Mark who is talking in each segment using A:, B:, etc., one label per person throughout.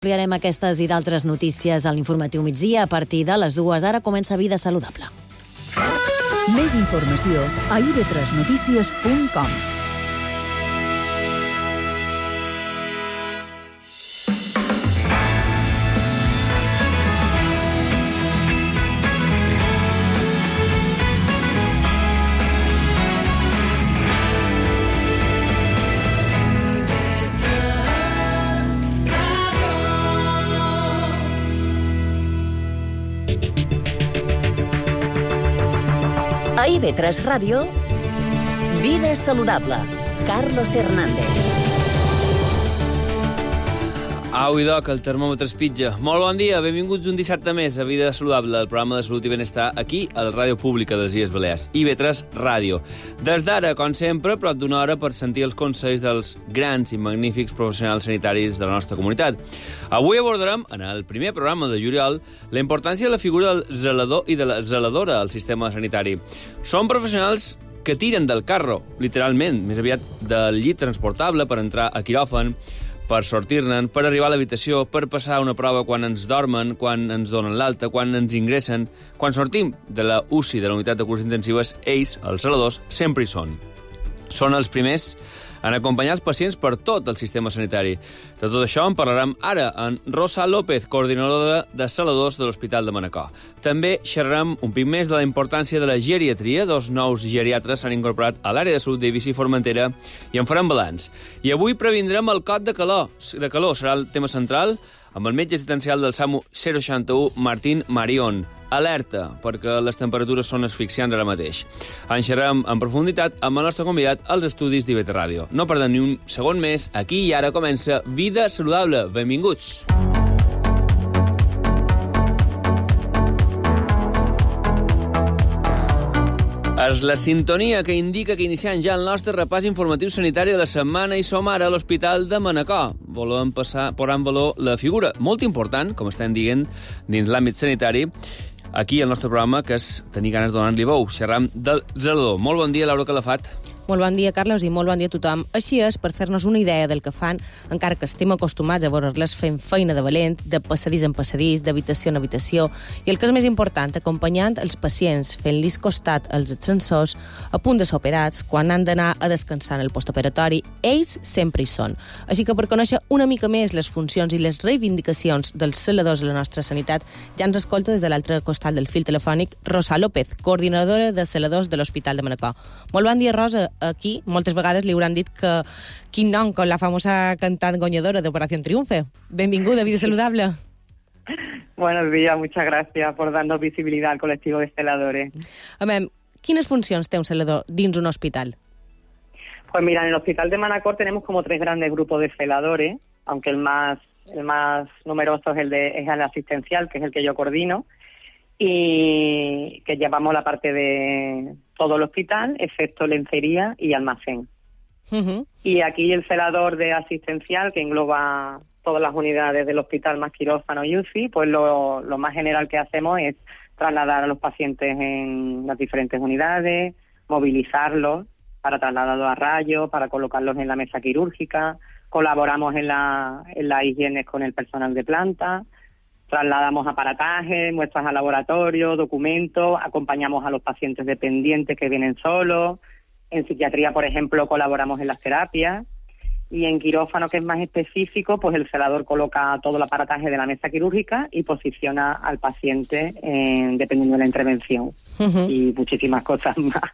A: Ampliarem aquestes i d'altres notícies a l'informatiu migdia a partir de les 2. Ara comença Vida Saludable.
B: Més informació a ib3notícies.com.
C: A IB3 Ràdio, Vida Saludable, Carlos Hernández.
D: Au i doc, el termòmetre es pitja. Molt bon dia, benvinguts un dissabte més a Vida Saludable, el programa de salut i benestar aquí, a la ràdio pública dels Illes Balears, IB3 Ràdio. Des d'ara, com sempre, prop d'una hora per sentir els consells dels grans i magnífics professionals sanitaris de la nostra comunitat. Avui abordarem, en el primer programa de juliol, la importància de la figura del zelador i de la zeladora al sistema sanitari. Són professionals que tiren del carro, literalment, més aviat del llit transportable per entrar a quiròfan, per sortir-ne, per arribar a l'habitació, per passar una prova quan ens dormen, quan ens donen l'alta, quan ens ingressen. Quan sortim de la UCI, de la unitat de cures intensives, ells, els zeladors, sempre hi són. Són els primers en acompanyar els pacients per tot el sistema sanitari. De tot això en parlarem ara amb Rosa López, coordinadora de zeladors de l'Hospital de Manacor. També xerrarem un pic més de la importància de la geriatria. 2 nous geriatres s'han incorporat a l'àrea de salut d'Eivissa i Formentera i en farem balanç. I avui previndrem el cot de calor. Serà el tema central amb el metge assistencial del SAMU 061, Martín Marión. Alerta, perquè les temperatures són asfixiants ara mateix. En xerrem en profunditat amb el nostre convidat als estudis d'IB3 Ràdio. No perdem ni un segon més. Aquí i ara comença Vida Saludable. Benvinguts. És la sintonia que indica que iniciem ja el nostre repàs informatiu sanitari de la setmana i som ara a l'Hospital de Manacor. Volem posar en valor la figura molt important, com estem dient, dins l'àmbit sanitari, aquí al nostre programa, que és tenir ganes de donar-li bou. Xerram del zelador. Molt bon dia, Laura Calafat.
E: Molt bon dia, Carlos, i molt bon dia a tothom. Així és, per fer-nos una idea del que fan, encara que estem acostumats a veure-les fent feina de valent, de passadís en passadís, d'habitació en habitació, i el que és més important, acompanyant els pacients, fent-los costat als ascensors, a punt de ser operats, quan han d'anar a descansar en el postoperatori, ells sempre hi són. Així que per conèixer una mica més les funcions i les reivindicacions dels zeladors de la nostra sanitat, ja ens escolta des de l'altre costat del fil telefònic Rosa López, coordinadora de zeladors de l'Hospital de Manacor. Molt bon dia, Rosa. Aquí moltes vegades li hauran dit que quin nom con la famosa cantant guanyadora d'Operación Triunfe. Benvinguda a Vida Saludable.
F: Buenos días, muchas gracias por darnos visibilidad al colectivo de celadores.
E: Quines funcions té un zelador dins un hospital?
F: Pues mira, en el Hospital de Manacor tenemos como 3 grandes grupos de celadores, aunque el más numeroso es el asistencial, que es el que yo coordino, y que llevamos la parte de todo el hospital, excepto lencería y almacén.
E: Uh-huh.
F: Y aquí el celador de asistencial, que engloba todas las unidades del hospital, más quirófano y UCI, pues lo más general que hacemos es trasladar a los pacientes en las diferentes unidades, movilizarlos para trasladarlos a rayos, para colocarlos en la mesa quirúrgica, colaboramos en las higienes con el personal de planta, trasladamos aparatajes, muestras al laboratorio, documentos, acompañamos a los pacientes dependientes que vienen solos. En psiquiatría, por ejemplo, colaboramos en las terapias. Y en quirófano, que es más específico, pues el celador coloca todo el aparataje de la mesa quirúrgica y posiciona al paciente dependiendo de la intervención.
E: Uh-huh.
F: Y muchísimas cosas más.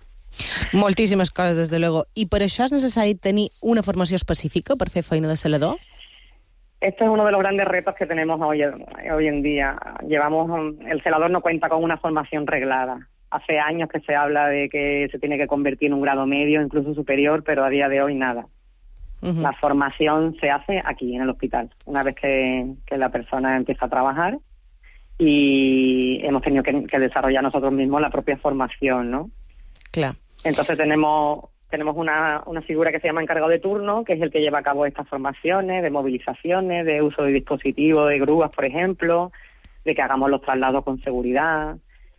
E: Moltíssimes coses, des de luego. I per això és necessari tenir una formació específica per fer feina de celador?
F: Esto es uno de los grandes retos que tenemos hoy en día. El celador no cuenta con una formación reglada. Hace años que se habla de que se tiene que convertir en un grado medio, incluso superior, pero a día de hoy nada.
E: Uh-huh.
F: La formación se hace aquí, en el hospital, una vez que la persona empieza a trabajar, y hemos tenido que desarrollar nosotros mismos la propia formación, ¿no?
E: Claro.
F: Entonces tenemos una figura que se llama encargado de turno, que es el que lleva a cabo estas formaciones de movilizaciones, de uso de dispositivos, de grúas, por ejemplo, de que hagamos los traslados con seguridad.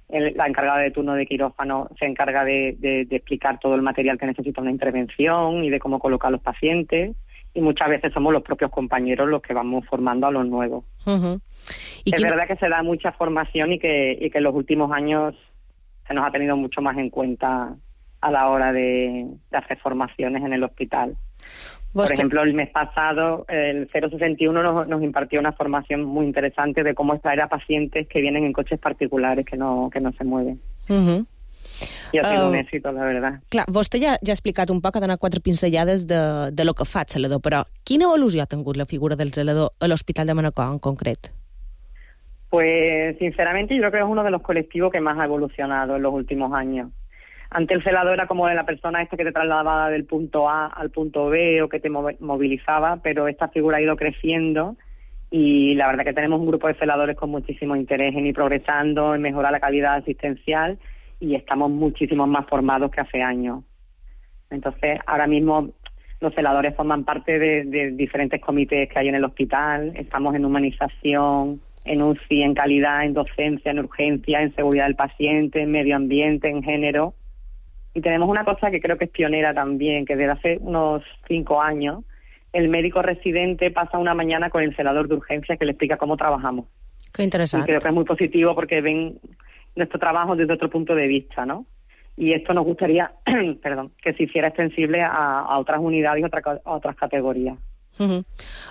F: La encargada de turno de quirófano se encarga de explicar todo el material que necesita una intervención y de cómo colocar a los pacientes. y muchas veces somos los propios compañeros los que vamos formando a los nuevos. Es verdad que se da mucha formación y que en los últimos años se nos ha tenido mucho más en cuenta a la hora de hacer formaciones en el hospital. Por ejemplo, el mes pasado, el 061 nos impartió una formación muy interesante de cómo extraer a pacientes que vienen en coches particulares que no se mueven. I ha sigut un èxit, la veritat.
E: Clar, vostè ja ha explicat un poc, ha donat 4 pinzellades de lo que fa el zelador, però quina evolució ha tingut la figura del zelador a l'Hospital de Manacor en concret?
F: Pues, sinceramente, yo creo que es uno de los colectivos que más ha evolucionado en los últimos años. Antes el celador era como la persona esta que te trasladaba del punto A al punto B o que te movilizaba, pero esta figura ha ido creciendo y la verdad que tenemos un grupo de celadores con muchísimo interés en ir progresando, en mejorar la calidad asistencial y estamos muchísimo más formados que hace años. Entonces, ahora mismo los celadores forman parte de diferentes comités que hay en el hospital, estamos en humanización, en UCI, en calidad, en docencia, en urgencia, en seguridad del paciente, en medio ambiente, en género. Y tenemos una cosa que creo que es pionera también, que desde hace unos 5 años el médico residente pasa una mañana con el celador de urgencia que le explica cómo trabajamos.
E: Qué interesante.
F: Y creo que es muy positivo porque ven nuestro trabajo desde otro punto de vista, ¿no? Y esto nos gustaría que se hiciera extensible a otras unidades y a otras categorías.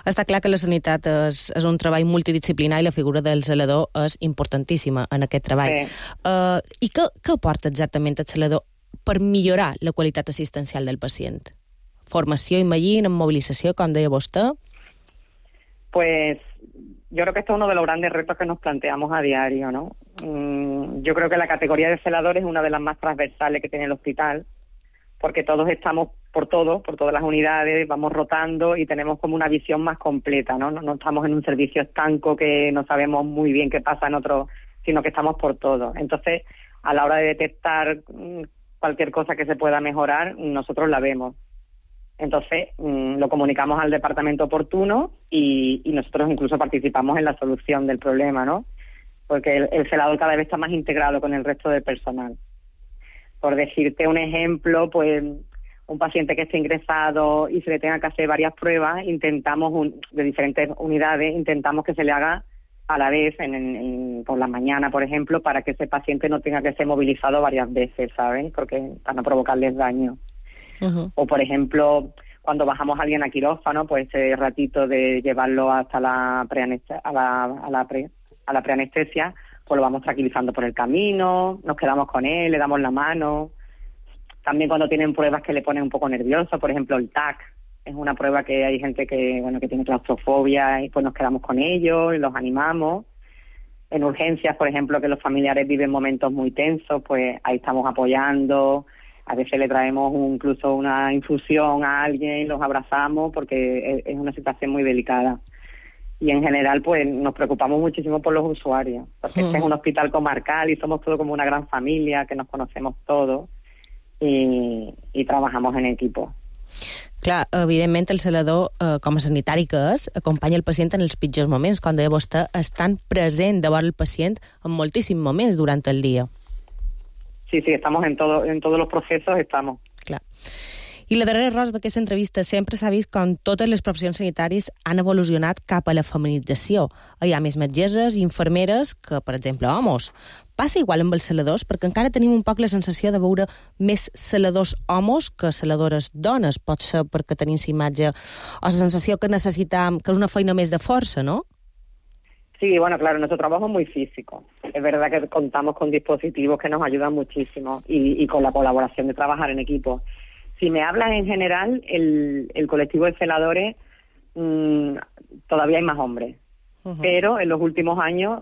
E: Està clar que la sanitat és un treball multidisciplinar i la figura del zelador és importantíssima en aquest treball. I què aporta exactament el zelador per millorar la qualitat assistencial del pacient? Formació, imagino, movilització, com deia vostè?
F: Pues yo creo que esto es uno de los grandes retos que nos planteamos a diario, ¿no? Yo creo que la categoría de celadores es una de las más transversales que tiene el hospital, porque todos estamos por todas las unidades, vamos rotando y tenemos como una visión más completa, ¿no? No estamos en un servicio estanco que no sabemos muy bien qué pasa en otro, sino que estamos por todo. Entonces, a la hora de detectar cualquier cosa que se pueda mejorar, nosotros la vemos. Entonces, lo comunicamos al departamento oportuno y nosotros incluso participamos en la solución del problema, ¿no? Porque el celador cada vez está más integrado con el resto del personal. Por decirte un ejemplo, pues un paciente que esté ingresado y se le tenga que hacer varias pruebas, intentamos de diferentes unidades, intentamos que se le haga a la vez por la mañana, por ejemplo, para que ese paciente no tenga que ser movilizado varias veces, ¿saben? Porque para no provocarles daño. O, por ejemplo, cuando bajamos a alguien a quirófano, pues ese ratito de llevarlo hasta la preanestesia, pues lo vamos tranquilizando por el camino, nos quedamos con él, le damos la mano. También cuando tienen pruebas que le ponen un poco nervioso, por ejemplo el TAC, es una prueba que hay gente que tiene claustrofobia y pues nos quedamos con ellos y los animamos. En urgencias, por ejemplo, que los familiares viven momentos muy tensos, pues ahí estamos apoyando. A veces le traemos incluso una infusión a alguien, los abrazamos porque es una situación muy delicada. Y en general, pues nos preocupamos muchísimo por los usuarios, porque este es un hospital comarcal y somos todos como una gran familia, que nos conocemos todos y trabajamos en equipo.
E: Clar, evidentment el zelador, com a sanitari que és, acompanya el pacient en els pitjors moments, quan deia vostè, estan present davant el pacient en moltíssims moments durant el dia.
F: Sí, estamos en todos los procesos, estamos.
E: Clar. I la darrera rosa d'aquesta entrevista sempre s'ha vist com totes les professions sanitàries han evolucionat cap a la feminització. Hi ha més metgesses i infermeres que, per exemple, homes. Passa igual amb els celadors, perquè encara tenim un poc la sensació de veure més celadors homes que celadores dones. Pot ser perquè tenim la imatge o la sensació que necessitam, que és una feina més de força, ¿no?
F: Sí, bueno, claro, nuestro trabajo es muy físico. Es verdad que contamos con dispositivos que nos ayudan muchísimo y con la colaboración de trabajar en equipo. Si me hablas en general, el colectivo de celadores, todavía hay más hombres. Pero en los últimos años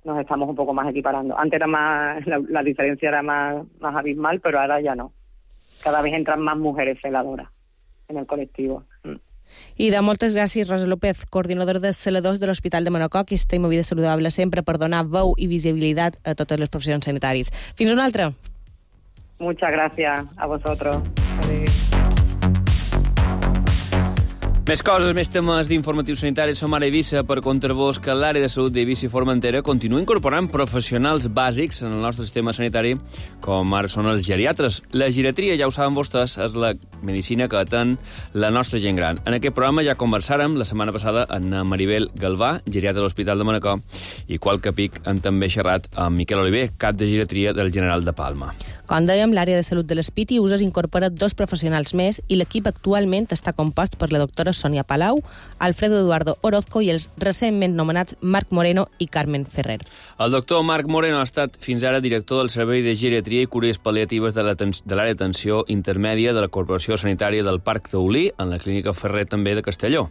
F: nos estamos un poco más equiparando. Antes era más, la diferencia era más abismal, pero ahora ya no. Cada vez entran más mujeres celadoras en el colectivo.
E: I de moltes gràcies, Rosa López, coordinadora de celadors de l'Hospital de Manacor, que estem a Vida Saludable sempre per donar veu i visibilitat a totes les professions sanitàries. Fins una altra.
F: Muchas gracias a vosotros.
D: Més coses, més temes d'informatius sanitaris. Som ara a Eivissa per contar-vos que l'àrea de salut d'Eivissa i Formentera continua incorporant professionals bàsics en el nostre sistema sanitari, com ara són els geriatres. La geriatria, ja ho saben vostès, és la medicina que atén la nostra gent gran. En aquest programa ja conversàrem la setmana passada amb Maribel Galvà, geriatra de l'Hospital de Manacor, i qualque pic hem també xerrat amb Miquel Oliver, cap de geriatria del General de Palma.
E: Com dèiem, l'àrea de salut de l'Espiti Uses incorpora 2 professionals més i l'equip actualment està compost per la doctora Sonia Palau, Alfredo Eduardo Orozco i els recentment nomenats Marc Moreno i Carmen Ferrer.
D: El doctor Marc Moreno ha estat fins ara director del Servei de Geriatria i Cures Pal·liatives de l'àrea d'atenció intermèdia de la Corporació Sanitària del Parc Taulí, en la Clínica Ferrer també de Castelló.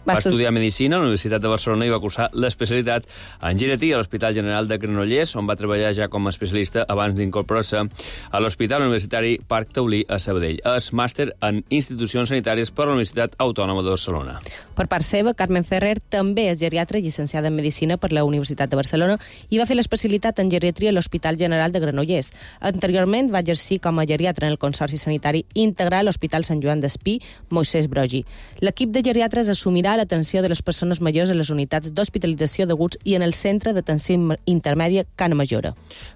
D: Va estudiar Medicina a la Universitat de Barcelona i va cursar l'especialitat en geriatria a l'Hospital General de Granollers, on va treballar ja com a especialista abans d'incorporar-se a l'Hospital Universitari Parc Taulí a Sabadell. És màster en institucions sanitàries per la Universitat Autònoma de Barcelona.
E: Per part seva, Carmen Ferrer també és geriatra llicenciada en Medicina per la Universitat de Barcelona i va fer l'especialitat en geriatria a l'Hospital General de Granollers. Anteriorment va exercir com a geriatra en el Consorci Sanitari Integral a l'Hospital Sant Joan d'Espí, Moisès Broggi. L'equip de geriatres assumirà l'atenció de les persones majors a les unitats d'hospitalització d'aguts i en el centre d'atenció intermèdia Cana Majora.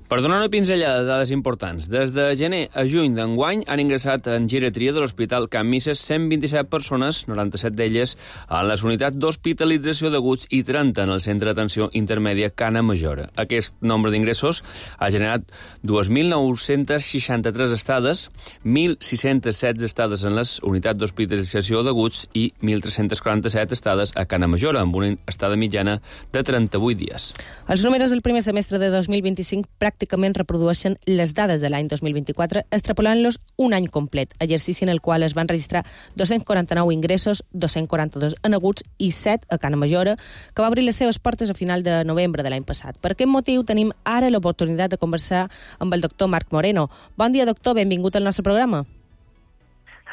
D: Per donar una pinzellada de dades importants, des de gener a juny d'enguany han ingressat en geriatria de l'Hospital Can Misses 127 persones, 97 d'elles a les unitats d'hospitalització d'aguts i 30 en el centre d'atenció intermèdia Cana Majora. Aquest nombre d'ingressos ha generat 2.963 estades, 1.616 estades en les unitats d'hospitalització d'aguts i 1.347 estades a Cana Majora, amb una estada mitjana de 38 dies.
E: Els números del primer semestre de 2025 pràcticament reprodueixen les dades de l'any 2024, extrapolant-los un any complet, exercici en el qual es van registrar 249 ingressos, 242 en aguts i 7 a Cana Majora, que va obrir les seves portes a final de novembre de l'any passat. Per aquest motiu tenim ara l'oportunitat de conversar amb el doctor Marc Moreno. Bon dia, doctor, benvingut al nostre programa.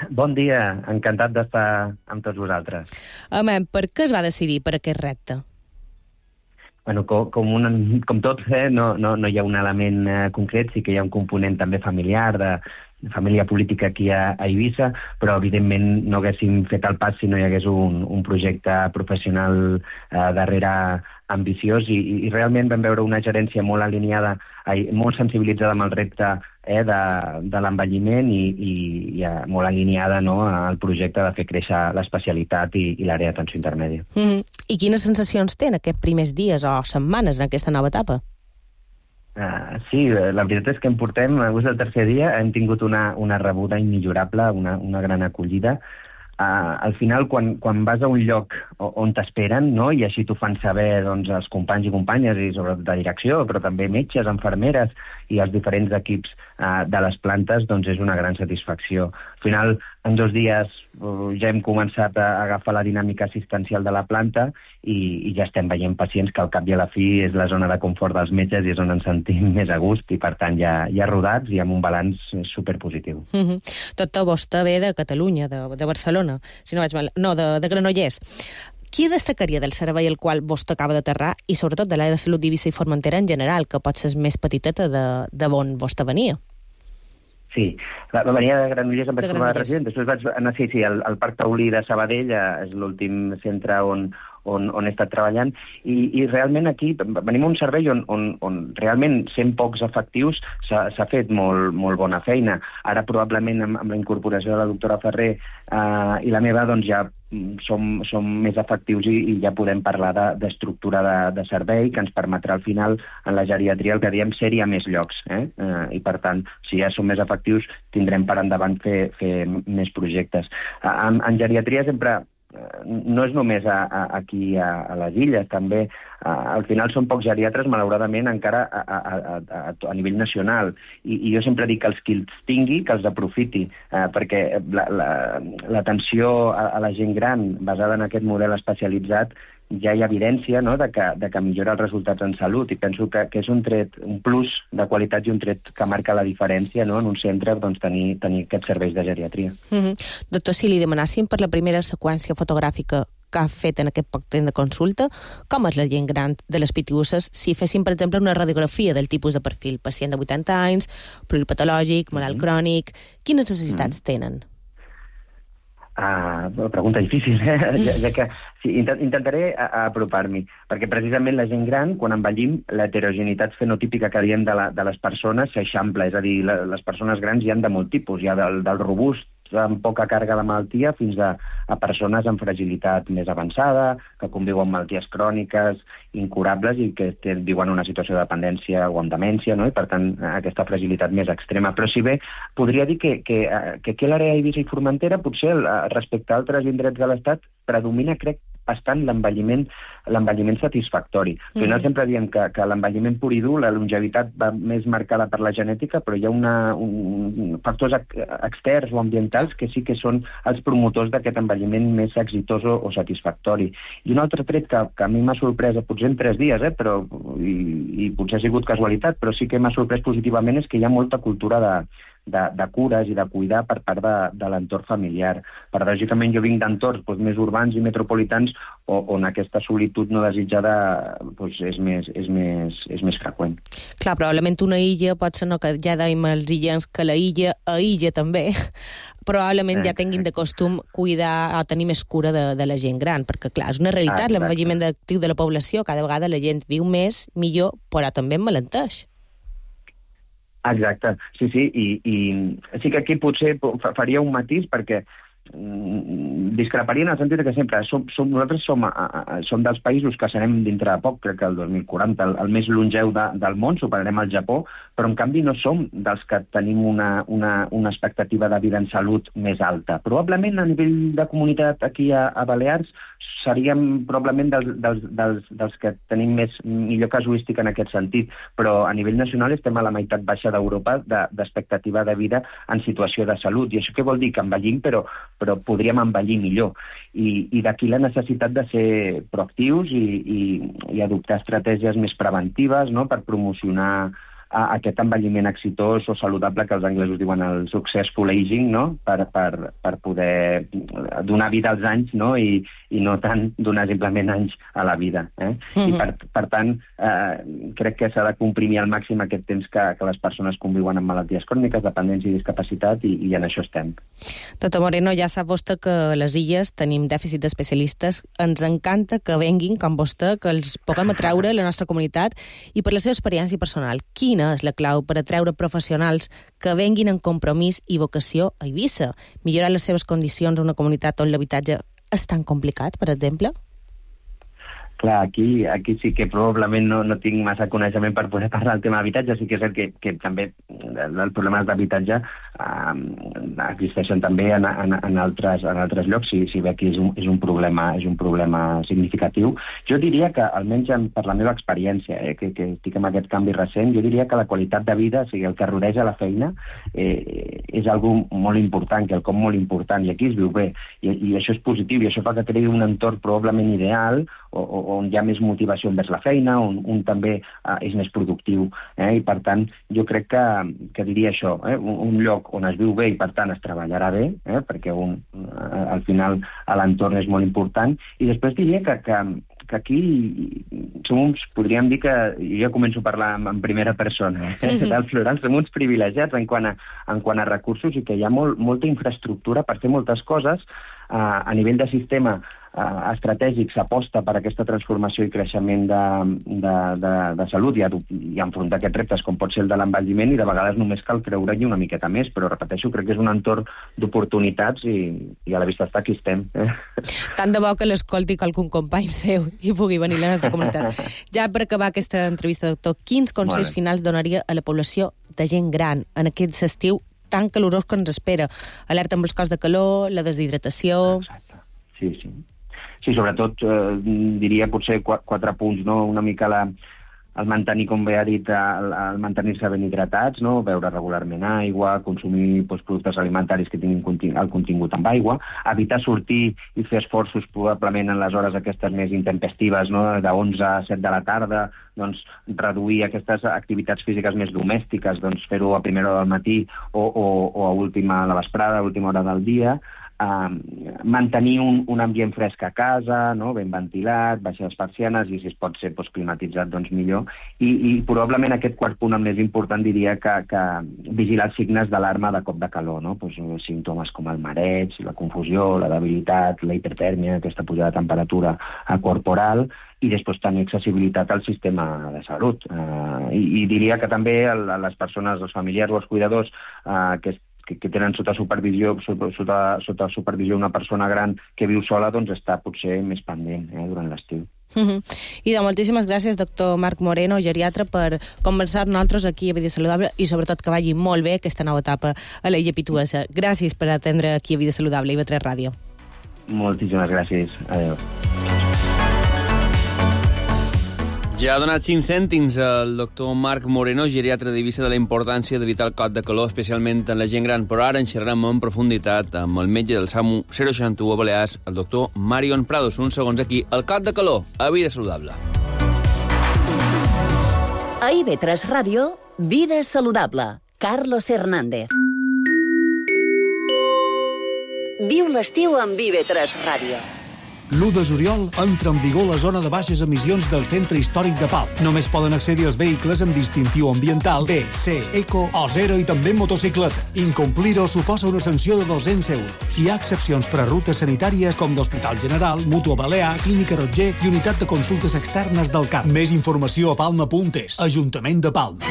G: Bon dia, encantat d'estar amb tots vosaltres.
E: Per què es va decidir per aquest repte?
G: Bueno, com tot, no hi ha un element concret, sí que hi ha un component també familiar, de família política aquí a Eivissa, però evidentment no haguéssim fet el pas si no hi hagués un projecte professional darrere ambiciós i realment vam veure una gerència molt alineada, molt sensibilitzada amb el repte de l'envelliment i molt alineada al projecte de fer créixer l'especialitat i l'àrea d'atenció intermèdia.
E: I quines sensacions té en aquests primers dies o setmanes en aquesta nova etapa?
G: Sí, la veritat és que portem, avui és el tercer dia, hem tingut una rebuda immillorable, una gran acollida. Al final, quan vas a un lloc on t'esperen, no? I així t'ho fan saber els companys i companyes, i sobretot de direcció, però també metges, infermeres i els diferents equips de les plantes, doncs és una gran satisfacció. Al final, en 2 dies ja hem començat a agafar la dinàmica assistencial de la planta i ja estem veient pacients que al cap i a la fi és la zona de confort dels metges i és on ens sentim més a gust i, per tant, ja rodats i amb un balanç superpositiu.
E: Doctor, vostè ve de Catalunya, de Barcelona, si no vaig mal, no, de Granollers. Qui destacaria del servei al qual vostè acaba d'aterrar i sobretot de l'àrea de salut d'Eivissa i Formentera en general, que pot ser més petiteta de on vostè venia?
G: Sí, venia de Granollers, em vaig formar de resident, després vaig anar al Parc Taulí de Sabadell, és l'últim centre on he estat treballant, i realment aquí venim a un servei on realment sent pocs efectius s'ha fet molt bona feina. Ara probablement amb la incorporació de la doctora Ferrer i la meva doncs ja som més efectius i ja podem parlar d'estructura de servei que ens permetrà al final en la geriatria el que diem ser-hi a més llocs. I per tant, si ja som més efectius tindrem per endavant fer més projectes. En geriatria sempre no és només aquí a les illes, també al final són pocs geriatres, malauradament, encara a nivell nacional. I jo sempre dic que els qui els tingui, que els aprofiti, perquè l'atenció a la gent gran basada en aquest model especialitzat ja hi ha evidència de que millora els resultats en salut i penso que és un tret, un plus de qualitat i un tret que marca la diferència en un centre tenir aquests serveis de geriatria.
E: Doctor, si li demanàssim per la primera seqüència fotogràfica que ha fet en aquest poc temps de consulta, com és la gent gran de les Pitiusses si féssim, per exemple, una radiografia del tipus de perfil? Pacient de 80 anys, pluripatològic, malalt crònic... Quines necessitats tenen?
G: Pregunta difícil, ja que sí, intentaré apropar-m'hi, perquè precisament la gent gran, quan envellim, l'heterogeneïtat fenotípica que diem de les persones s'eixampla, és a dir, les persones grans hi ha de molt tipus, hi ha del robust amb poca càrrega de malaltia fins a persones amb fragilitat més avançada, que conviuen amb malalties cròniques, incurables i que viuen una situació de dependència o amb demència, no? I per tant aquesta fragilitat més extrema. Però si bé podria dir que aquí a l'àrea d'Eivissa i Formentera potser respecte a altres indrets de l'Estat predomina, crec, bastant l'envelliment satisfactori. Al final sempre diem que l'envelliment pur i dur, la longevitat va més marcada per la genètica, però hi ha factors externs o ambientals que sí que són els promotors d'aquest envelliment més exitós o satisfactori. I un altre tret que a mi m'ha sorprès, potser en 3 dies, però i potser ha sigut casualitat, però sí que m'ha sorprès positivament, és que hi ha molta cultura de cures i de cuidar per part de l'entorn familiar. Paradògicament jo vinc d'entorns més urbans i metropolitans on aquesta solitud no desitjada és més freqüent.
E: Clar, probablement una illa pot ser, no, que ja dèiem els illens que la illa aïlla també, probablement ja tinguin de costum cuidar o tenir més cura de la gent gran, perquè clar, és una realitat, l'envelliment actiu de la població, cada vegada la gent viu més, millor, però també emmalenteix.
G: Exacte, sí, i sí que aquí potser faria un matís perquè discreparia en el sentit que sempre nosaltres som dels països que serem dintre de poc, crec que el 2040, el més longeu del món, superarem el Japó, però en canvi no som dels que tenim una expectativa de vida en salut més alta. Probablement a nivell de comunitat aquí a Balears seríem probablement dels que tenim millor casuística en aquest sentit, però a nivell nacional estem a la meitat baixa d'Europa d'expectativa de vida en situació de salut. I això què vol dir? Que envellim, però podríem envellir millor. I d'aquí la necessitat de ser proactius i adoptar estratègies més preventives, no?, per promocionar aquest envelliment exitós o saludable que els anglesos diuen el successful aging, no?, per poder donar vida als anys, no?, i no tant donar simplement anys a la vida. I per tant, crec que s'ha de comprimir al màxim aquest temps que les persones conviuen amb malalties cròniques, dependència i discapacitat, i en això estem.
E: Doctor Moreno, ja sap vostè que a les illes tenim dèficit d'especialistes. Ens encanta que venguin, com vostè, que els puguem atreure a la nostra comunitat, i per la seva experiència personal, quina és la clau per atreure professionals que venguin en compromís i vocació a Eivissa? Millorar les seves condicions a una comunitat on l'habitatge és tan complicat, per exemple?
G: Clar, aquí sí que probablement no tinc massa coneixement per poder parlar del tema d'habitatge. Sí que és cert que també els problemes d'habitatge existeixen també en altres llocs, si bé aquí és un problema significatiu. Jo diria que, almenys per la meva experiència, que estic en aquest canvi recent, jo diria que la qualitat de vida, o sigui, el que rodeja la feina, és algo molt important, quelcom molt important, i aquí es viu bé. I això és positiu, i això fa que creï un entorn probablement ideal, on hi ha més motivació envers la feina, on també és més productiu. I per tant, jo crec que diria això, un lloc on es viu bé i per tant es treballarà bé, perquè al final l'entorn és molt important, i després diria que aquí podríem dir que, jo començo a parlar en primera persona, del plural, som uns privilegiats en quant a recursos, i que hi ha molta infraestructura per fer moltes coses. A nivell de sistema estratègic s'aposta per aquesta transformació i creixement de salut i enfrontar aquests reptes com pot ser el de l'envelliment, i de vegades només cal creure-hi una miqueta més, però repeteixo, crec que és un entorn d'oportunitats i a la vista està aquí estem.
E: Tant de bo que l'escolti algun company seu i pugui venir a la nostra comunitat. Ja per acabar aquesta entrevista, doctor, quins consells finals donaria a la població de gent gran en aquest estiu tan calorós que ens espera? Alerta amb els cops de calor, la deshidratació...
G: Exacte, sí. Sí, sobretot diria potser 4 punts, no? Una mica el mantenir, com bé ha dit, el mantenir-se ben hidratats, no? Beure regularment aigua, consumir productes alimentaris que tinguin el contingut amb aigua, evitar sortir i fer esforços probablement en les hores aquestes més intempestives, no? De 11 a 7 de la tarda, doncs reduir aquestes activitats físiques més domèstiques, doncs fer-ho a primera hora del matí o a la vesprada, a última hora del dia, mantenir un ambient fresc a casa, no? Ben ventilat, baixar les persianes i si es pot ser climatitzat, doncs millor. I probablement aquest quart punt, el més important, diria que vigilar els signes d'alarma de cop de calor, no? Pues, símptomes com el mareig, la confusió, la debilitat, la hipertèrmia, aquesta pujada de temperatura corporal, i després tenir accessibilitat al sistema de salut. I diria que també les persones, els familiars o els cuidadors que tenen sota supervisió una persona gran que viu sola, doncs està potser més pendent durant l'estiu.
E: I moltíssimes gràcies, doctor Marc Moreno, geriatre, per conversar nosaltres aquí a Vida Saludable i sobretot que vagi molt bé aquesta nova etapa a la Pituesa. Gràcies per atendre aquí a Vida Saludable i IB3 Ràdio.
G: Moltíssimes gràcies. Adéu.
D: Ja ha donat 5 cèntims el doctor Marc Moreno, geriatre d'Eivissa, de la importància d'evitar el cot de calor, especialment en la gent gran. Però ara en xerrarem en profunditat amb el metge del SAMU 061 a Balears, el doctor Marion Prados. Uns segons aquí. El cot de calor, a Vida Saludable.
C: A IB3 Ràdio, Vida Saludable. Carlos Hernández. Viu l'estiu amb IB3 Ràdio.
H: L'1 de juliol entra en vigor la zona de baixes emissions del Centre Històric de Pal. Només poden accedir els vehicles amb distintiu ambiental B, C, Eco o 0 i també motocicleta. Incomplir-ho suposa una sanció de 200 euros. Hi ha excepcions per a rutes sanitàries com d'Hospital General, Mútua Balear, Clínica Rotger i Unitat de Consultes Externes del CAP. Més informació a palma.es. Ajuntament de Palma.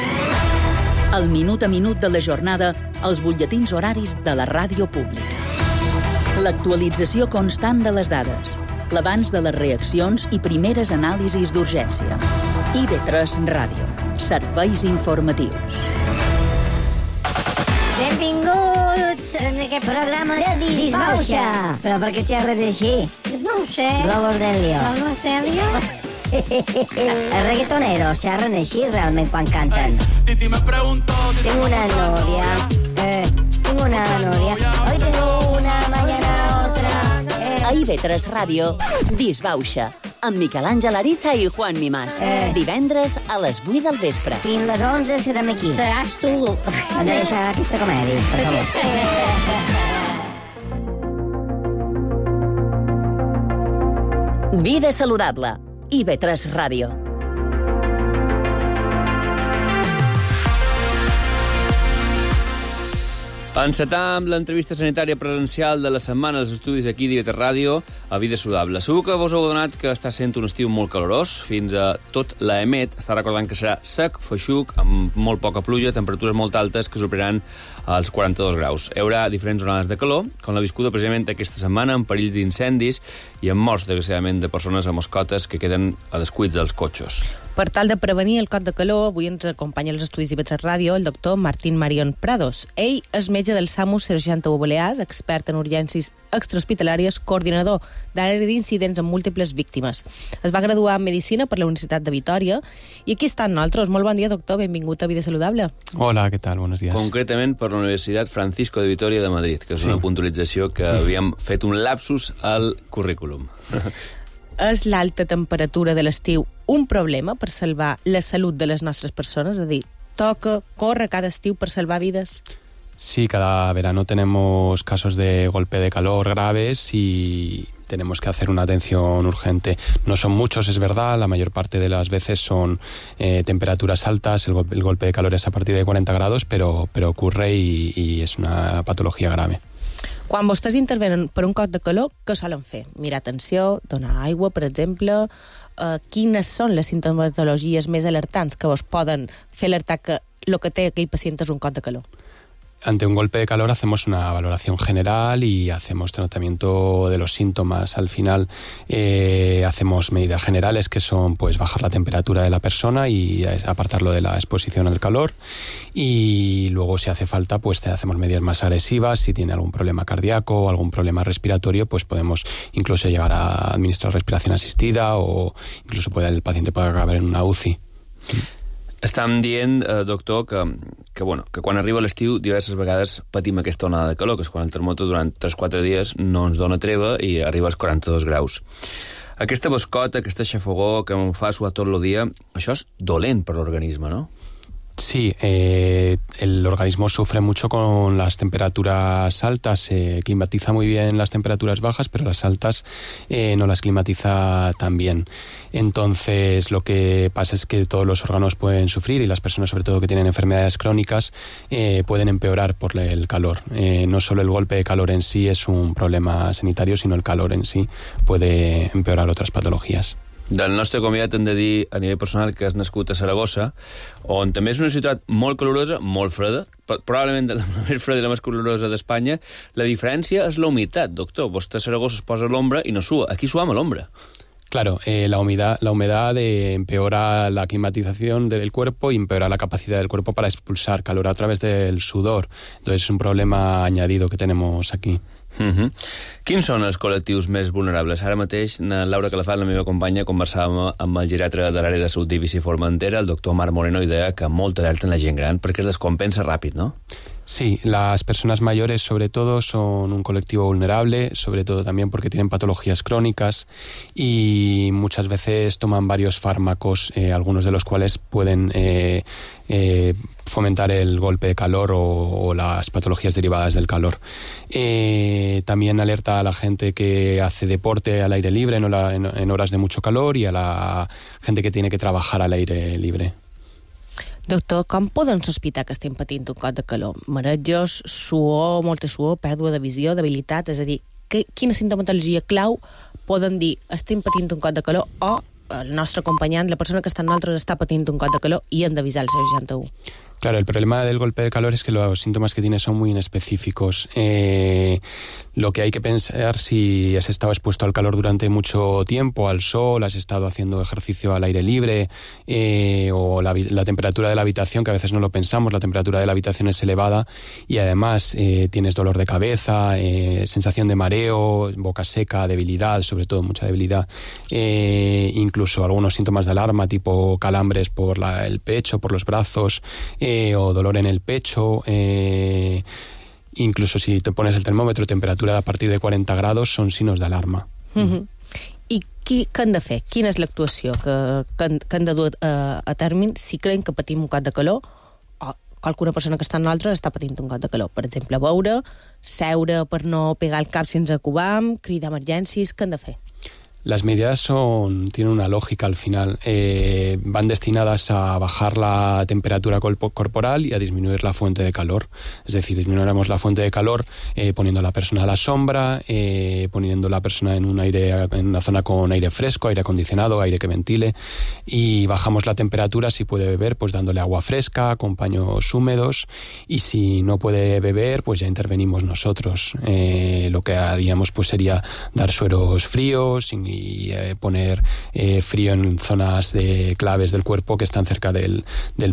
B: El minut a minut de la jornada, els butlletins horaris de la ràdio pública. L'actualització constant de les dades, l'abans de les reaccions i primeres anàlisis d'urgència. IB3 Ràdio. Serveis informatius.
I: Benvinguts en aquest programa de Disbauxa. Però per què xerres així?
J: No ho sé.
I: Globos Delio.
J: Globos Delio?
I: Els reggaetoneros xerren així realment quan canten. Tengo una novia. Tengo una novia. Hoy tengo una, mañana otra.
C: A IB3 Ràdio, Disbauxa, amb Miquel Àngel Ariza i Juan Mimàs. Divendres a les 8 del vespre.
I: Fins les 11 serem aquí.
J: Seràs tu.
I: Hem de deixar aquesta comèdia, per favor.
C: Vida Saludable, IB3 Ràdio.
D: Encetar amb l'entrevista sanitària presencial de la setmana als estudis aquí d'IB3 Ràdio a Vida Saludable. Segur que vos heu adonat que està sent un estiu molt calorós. Fins a tot l'EMET està recordant que serà sec, feixuc, amb molt poca pluja, temperatures molt altes que superaran els 42 graus. Hi haurà diferents onades de calor, com la viscuda precisament aquesta setmana, amb perills d'incendis i amb morts, desgraciadament, de persones amb mascotes que queden a descuits dels cotxes.
E: Per tal de prevenir el cot de calor, avui ens acompanya als estudis IB3 Ràdio el doctor Martín Marion Prados. Ell és metge del SAMU 061 Balears, expert en urgències extrahospitalàries, coordinador d'àrea d'incidents amb múltiples víctimes. Es va graduar en Medicina per la Universitat de Vitòria i aquí està amb nosaltres. Molt bon dia, doctor. Benvingut a Vida Saludable.
K: Hola, ¿qué tal? Buenos días.
D: Concretament per la Universitat Francisco de Vitoria de Madrid, que és una puntualització que havíem fet un lapsus al currículum.
E: És l'alta temperatura de l'estiu un problema per salvar la salut de les nostres persones? És a dir, toca córrer cada estiu per salvar vides?
K: Sí, cada verano tenemos casos de golpe de calor graves y tenemos que hacer una atención urgente. No son muchos, es verdad, la mayor parte de las veces son temperaturas altas, el golpe de calor es a partir de 40 grados, pero ocurre y es una patología grave.
E: Quan vostès intervenen per un cot de calor, què solen fer? Mirar atenció, donar aigua, per exemple. Quines són les sintomatologies més alertants que vos poden fer alertar que el que té aquell pacient és un cot de calor?
K: Ante un golpe de calor hacemos una valoración general y hacemos tratamiento de los síntomas. Al final hacemos medidas generales que son pues bajar la temperatura de la persona y apartarlo de la exposición al calor, y luego si hace falta pues hacemos medidas más agresivas. Si tiene algún problema cardíaco o algún problema respiratorio, pues podemos incluso llegar a administrar respiración asistida o incluso el paciente puede acabar en una UCI.
D: Estàvem dient, doctor, que quan arriba l'estiu diverses vegades patim aquesta onada de calor, que és quan el termòmetre durant 3-4 dies no ens dona treva i arriba als 42 graus. Aquesta bascota, aquesta xafogor que em fa suar tot el dia, això és dolent per l'organisme, no?
K: Sí, el organismo sufre mucho con las temperaturas altas, se climatiza muy bien las temperaturas bajas, pero las altas no las climatiza tan bien. Entonces lo que pasa es que todos los órganos pueden sufrir y las personas sobre todo que tienen enfermedades crónicas pueden empeorar por el calor. No solo el golpe de calor en sí es un problema sanitario, sino el calor en sí puede empeorar otras patologías.
D: Del nostre convidat hem de dir a nivell personal que és nascut a Saragossa, on també és una ciutat molt calorosa, molt freda, probablement la més freda i la més calorosa d'Espanya. La diferència és la humitat, doctor. Vostè a Saragossa es posa a l'ombra i no sua. Aquí suam a l'ombra.
K: Claro, la humedad empeora la climatización del cuerpo y empeora la capacidad del cuerpo para expulsar calor a través del sudor. Entonces es un problema añadido que tenemos aquí.
D: Quins són els col·lectius més vulnerables? Ara mateix, Laura Calafat, la meva companya, conversàvem amb el geriatre de l'àrea de salut d'Eivissa i Formentera, el doctor Marc Moreno, i deia que molt alerta en la gent gran perquè es descompensa ràpid, ¿no?
K: Sí, las personas mayores sobre todo son un colectivo vulnerable, sobre todo también porque tienen patologías crónicas y muchas veces toman varios fármacos, algunos de los cuales pueden fomentar el golpe de calor o las patologías derivadas del calor. También alerta a la gente que hace deporte al aire libre en horas de mucho calor y a la gente que tiene que trabajar al aire libre.
E: Doctor, com poden sospitar que estem patint un cop de calor? Marejos, suor, molta suor, pèrdua de visió, debilitat, és a dir, quina sintomatologia clau poden dir estem patint un cop de calor o el nostre acompanyant, la persona que està amb nosaltres, està patint un cop de calor i hem d'avisar el 61?
K: Claro, el problema del golpe de calor es que los síntomas que tiene son muy inespecíficos. Lo que hay que pensar, si has estado expuesto al calor durante mucho tiempo, al sol, has estado haciendo ejercicio al aire libre, o la temperatura de la habitación, que a veces no lo pensamos, la temperatura de la habitación es elevada y además tienes dolor de cabeza, sensación de mareo, boca seca, debilidad, sobre todo mucha debilidad, incluso algunos síntomas de alarma tipo calambres por el pecho, por los brazos, o dolor en el pecho, incluso si te pones el termòmetre, temperatura a partir de 40 grados són signos d'alarma.
E: I què han de fer? Quina és l'actuació que han de dur a terme si creuen que patim un cop de calor o qualsevol persona que està amb nosaltres està patint un cop de calor? Per exemple, beure, seure per no pegar el cap si ens acubam, cridar emergències, què han de fer?
K: Las medidas tienen una lógica al final. Van destinadas a bajar la temperatura corporal y a disminuir la fuente de calor. Es decir, disminuiremos la fuente de calor poniendo a la persona a la sombra, poniendo a la persona en una zona con aire fresco, aire acondicionado, aire que ventile, y bajamos la temperatura, si puede beber, pues dándole agua fresca, con paños húmedos, y si no puede beber, pues ya intervenimos nosotros. Lo que haríamos pues sería dar sueros fríos y poner frío en zonas claves del cuerpo que están cerca del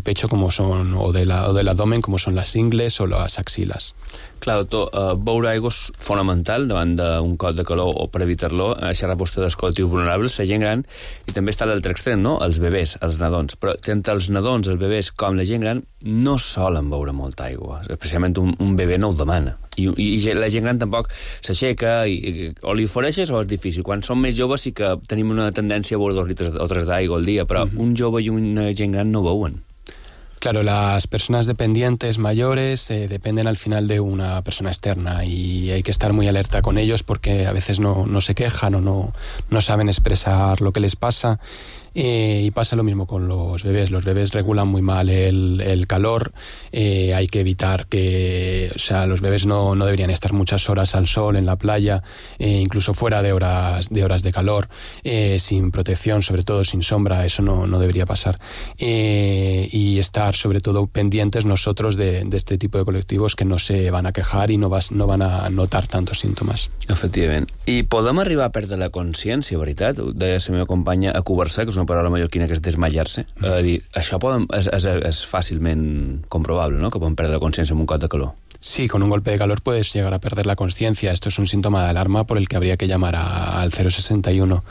K: pecho, como son o del abdomen, como son las ingles o las axilas.
D: Clar, doctor, beure aigua és fonamental davant d'un cop de calor o per evitar-lo. Ha xerrat vostè dels col·lectius vulnerables, la gent gran, i també està l'altre extrem, no? Els bebès, els nadons. Però tant els nadons, els bebès, com la gent gran, no solen beure molta aigua. Especialment un bebè no ho demana. I la gent gran tampoc s'aixeca, o li ofereixes o és difícil. Quan som més joves sí que tenim una tendència a beure 2 litres o 3 d'aigua al dia, però un jove i una gent gran no beuen.
K: Claro, las personas dependientes mayores dependen al final de una persona externa y hay que estar muy alerta con ellos porque a veces no se quejan o no saben expresar lo que les pasa. Y pasa lo mismo con los bebés. Los bebés regulan muy mal el calor. Hay que evitar que... O sea, los bebés no deberían estar muchas horas al sol, en la playa, incluso fuera de horas de calor, sin protección, sobre todo sin sombra. Eso no debería pasar. Y estar, sobre todo, pendientes nosotros de este tipo de colectivos que no se van a quejar y no van a notar tantos síntomas.
D: Efectivament. I podem arribar a perdre la consciència, veritat? Deia la meva companya a cubar-se, que és una paraula mallorquina que és desmallar-se. Dir, això és fàcilment comprovable, no?, que podem perdre la consciència en un cop de calor.
K: Sí, con un golpe de calor puedes llegar a perder la consciencia. Esto es un síntoma de alarma por el que habría que llamar al 061.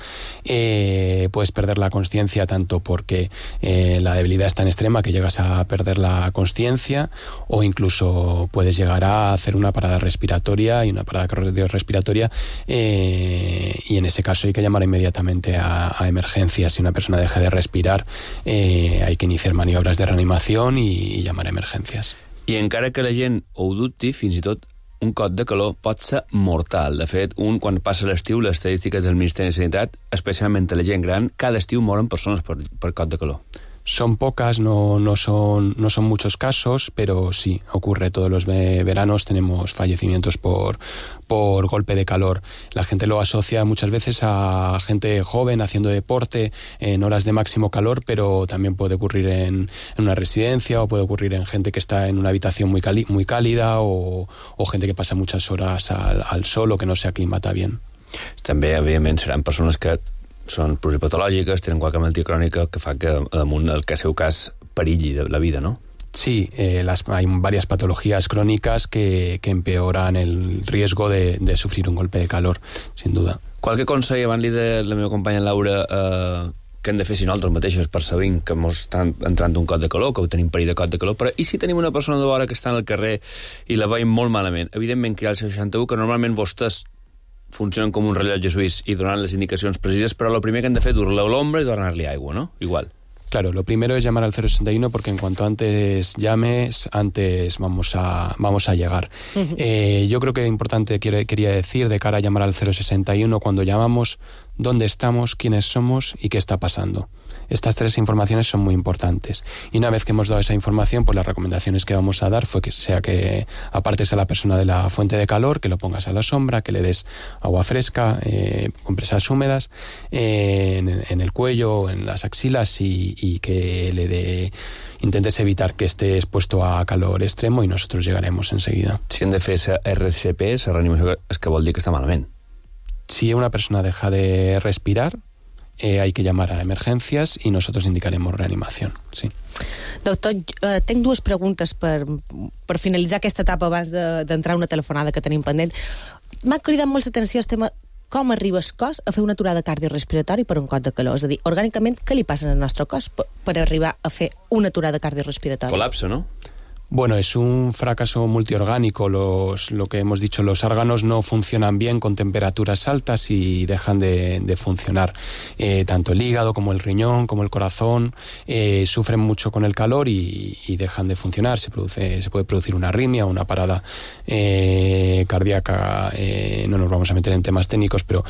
K: Puedes perder la consciencia tanto porque la debilidad es tan extrema que llegas a perder la consciencia, o incluso puedes llegar a hacer una parada respiratoria y una parada cardiorrespiratoria, y en ese caso hay que llamar inmediatamente a emergencias. Si una persona deja de respirar, hay que iniciar maniobras de reanimación y llamar a emergencias.
D: I encara que la gent ho dubti, fins i tot un cot de calor pot ser mortal. De fet, quan passa l'estiu, les estadístiques del Ministeri de Sanitat, especialment a la gent gran, cada estiu moren persones per cot de calor.
K: Son pocas, no son muchos casos, pero sí, ocurre todos los veranos, tenemos fallecimientos por golpe de calor. La gente lo asocia muchas veces a gente joven haciendo deporte en horas de máximo calor, pero también puede ocurrir en una residencia, o puede ocurrir en gente que está en una habitación muy cálida, o gente que pasa muchas horas al sol o que no se aclimata bien.
D: També, evidentment, seran persones que són pluripatològiques, tenen qualque malaltia crònica que fa que damunt el seu cas perilli de la vida, ¿no?
K: Sí, hay varias patologías crónicas que empeoran el riesgo de sufrir un golpe de calor, sin duda.
D: Qualque consell, abans li de la meva companya Laura, que hem de fer si nosaltres mateixos percebem que ens està entrant un cot de calor, que tenim perill de cot de calor, però i si tenim una persona de vora que està al carrer i la veiem molt malament? Evidentment, cridar al 61, que normalment vostès funcionen com un rellotge suís y donan las indicaciones precisas, pero lo primero que han de fer es dur-lo a l'ombra y donar-li aigua, ¿no? Igual.
K: Claro, lo primero es llamar al 061 porque en cuanto antes llames, antes vamos a llegar. Yo creo que es importante, quería decir, de cara a llamar al 061, cuando llamamos, dónde estamos, quiénes somos y qué está pasando. Estas tres informaciones son muy importantes. Y una vez que hemos dado esa información, pues las recomendaciones que vamos a dar fue que sea que apartes a la persona de la fuente de calor, que lo pongas a la sombra, que le des agua fresca, compresas húmedas en el cuello, en las axilas, y que intentes evitar que esté expuesto a calor extremo, y nosotros llegaremos enseguida.
D: Si hem de fer RCP, la reanimació, és que vol dir que està malament.
K: Si una persona deja de respirar, hay que llamar a emergencias y nosotros indicaremos reanimación. Sí.
E: Doctor, tenc dues preguntes per finalitzar aquesta etapa abans d'entrar una telefonada que tenim pendent. M'ha cridat molt l'atenció el tema com arriba el cos a fer una aturada cardiorrespiratori per un cot de calor. És a dir, orgànicament, què li passa al nostre cos per arribar a fer una aturada cardiorrespiratòria?
D: Colapso, ¿no?
K: Bueno, es un fracaso multiorgánico. Lo que hemos dicho, los órganos no funcionan bien con temperaturas altas y dejan de funcionar. Tanto el hígado como el riñón, como el corazón, sufren mucho con el calor y dejan de funcionar. Se puede producir una arritmia, una parada cardíaca. No nos vamos a meter en temas técnicos, pero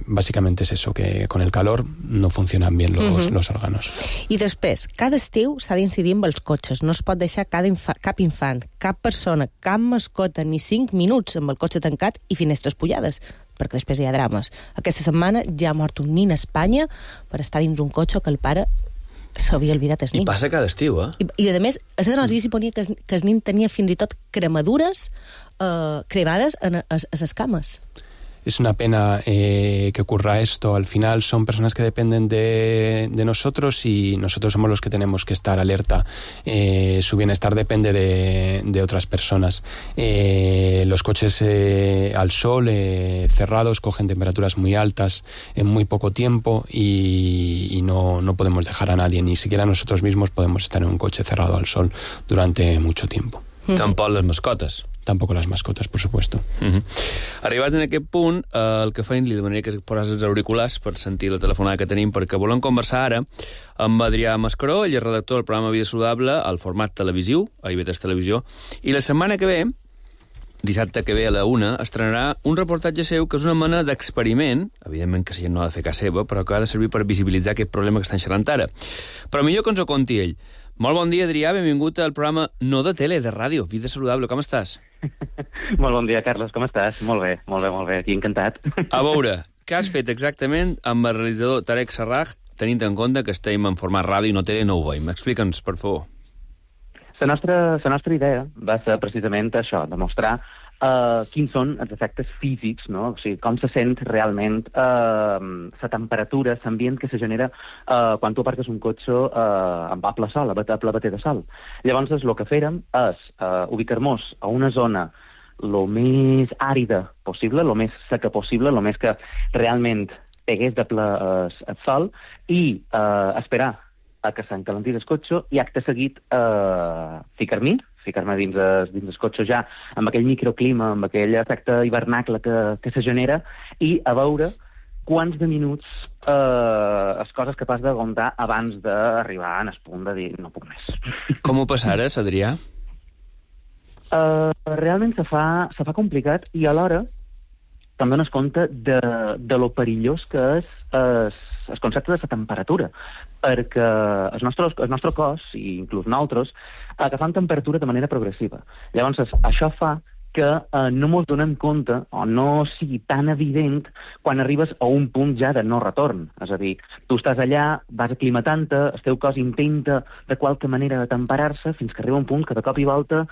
K: básicamente es eso, que con el calor no funcionan bien los órganos.
E: I després, cada estiu s'ha d'incidir amb els cotxes. No es pot deixar cap infant, cap persona, cap mascota, ni 5 minuts amb el cotxe tancat i finestres pullades, perquè després hi ha drames. Aquesta setmana ja ha mort un nin a Espanya per estar dins un cotxe que el pare s'havia oblidat el nin.
D: I passa cada estiu,
E: I a més, a la notícia ponia que el nin tenia fins i tot cremadures cremades a les cames.
K: Es una pena que ocurra esto. Al final son personas que dependen de nosotros, y nosotros somos los que tenemos que estar alerta. Su bienestar depende de otras personas. Los coches al sol, cerrados, cogen temperaturas muy altas en muy poco tiempo, y no podemos dejar a nadie, ni siquiera nosotros mismos podemos estar en un coche cerrado al sol durante mucho tiempo.
D: Tampoc les mascotes.
K: Tampoco las mascotas, por supuesto.
D: Arribats en aquest punt, el que feim, li demanaria que posés els auriculars per sentir la telefonada que tenim, perquè volem conversar ara amb Adrià Mascaró, ell és redactor del programa Vida Saludable, al format televisiu, a IB3 Televisió, i la setmana que ve, dissabte que ve a la 1, estrenarà un reportatge seu que és una mena d'experiment, evidentment que si no ha de fer cas seva, però que ha de servir per visibilitzar aquest problema que estan xerrant ara. Però millor que ens ho conti ell. Molt bon dia, Adrià, benvingut al programa no de tele, de ràdio, Vida Saludable, com estàs?
J: Molt bon dia, Carles, com estàs? Molt bé, aquí encantat.
D: A veure, què has fet exactament amb el realitzador Tarek Sarraj, tenint en compte que estem en format ràdio i no tele, no ho veiem? Explica'ns, per favor.
J: La nostra idea va ser precisament això, demostrar quins són els efectes físics, no? O sigui, com se sent realment la temperatura, l'ambient que se genera quan tu aparques un cotxe amb ple sol, a ple bater de sol. Llavors, el que fèrem és ubicar-nos a una zona lo més àrida possible, lo més seca possible, lo més que realment pegués de ple el sol, i esperar a que s'encalentís el cotxe i acte seguit ficar-me dins el cotxe ja amb aquell microclima, amb aquell efecte hivernacle que se genera, i a veure quants de minuts les coses capaç d'aguantar abans d'arribar en el punt de dir no puc més.
D: Com ho passares, Adrià?
J: Realment se fa complicat, i alhora també dones compte de lo perillós que és el concepte de la temperatura, perquè el nostre cos, i inclús nosaltres, agafem temperatura de manera progressiva. Llavors, això fa que no ens donem compte, o no sigui tan evident, quan arribes a un punt ja de no retorn. És a dir, tu estàs allà, vas aclimatant-te, el teu cos intenta de qualque manera temperar-se, fins que arriba un punt que de cop i volta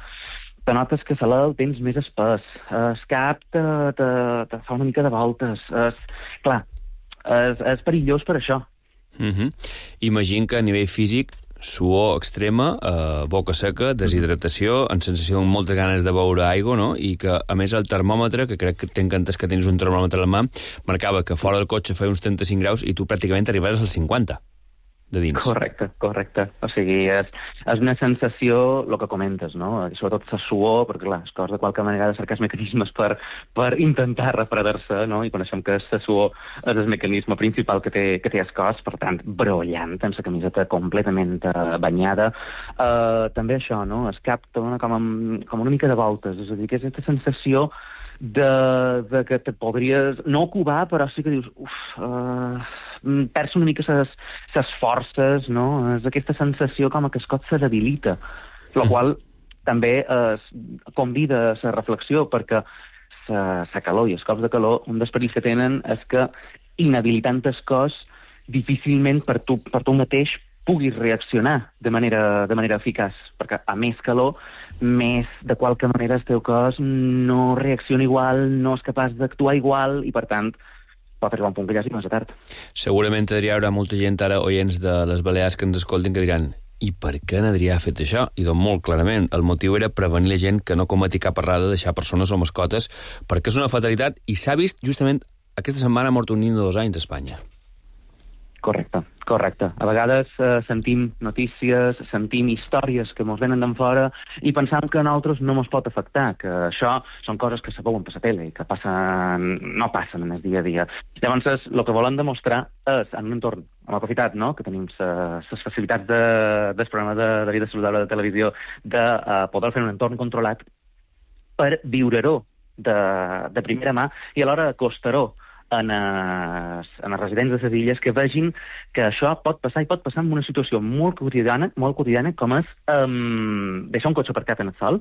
J: te notes que el tens més espès, el cap te fa una mica de voltes. Clar, és perillós per això.
D: Imagina que a nivell físic, suor extrema, boca seca, deshidratació, amb sensació de moltes ganes de beure aigua, no? I que, a més, el termòmetre, que crec que tenc entès que tens un termòmetre a la mà, marcava que fora del cotxe feia uns 35 graus i tu pràcticament arribaves als 50. De dins.
J: Correcte. O sigui, és una sensació, el que comentes, no? I sobretot la suor, perquè clar, el cos de qualque manera ha de cercar els mecanismes per intentar refredar-se, no? I coneixem que la suor és el mecanisme principal que té el cos, per tant, brollant, amb la camiseta completament banyada. També això, no? El cap te dona com una mica de voltes, és a dir, que és aquesta sensació de que te podries no cubar, però sí que dius perds una mica ses forces, no? És aquesta sensació com que el cos se debilita, la qual també convida a la reflexió, perquè la calor i els cops de calor, un dels perills que tenen és que, inhabilitant el cos, difícilment per tu mateix puguis reaccionar de manera eficaç, perquè a més calor, més de qualque manera el teu cos no reacciona igual, no és capaç d'actuar igual, i per tant pot arribar un punt que ja sigui massa tard.
D: Segurament, Adrià, hi haurà molta gent ara, oients de les Balears, que ens escoltin, que diran: i per què n'Adrià ha fet això? I doncs molt clarament, el motiu era prevenir la gent que no cometi cap errada de deixar persones o mascotes, perquè és una fatalitat, i s'ha vist justament aquesta setmana ha mort un nen de 2 anys a Espanya.
J: Correcte. A vegades sentim notícies, sentim històries que ens venen d'en fora i pensam que a nosaltres no ens pot afectar, que això són coses que se veuen per la tele i que no passen en el dia a dia. Llavors, el que volem demostrar és, en un entorn, hem aprofitat, no?, que tenim les facilitats del programa de vida saludable de televisió, de poder fer un entorn controlat per viure-ho de primera mà i alhora acostar-ho en els residents de les illes, que vegin que això pot passar, i pot passar en una situació molt quotidiana com és deixar un cotxe aparcat en el sol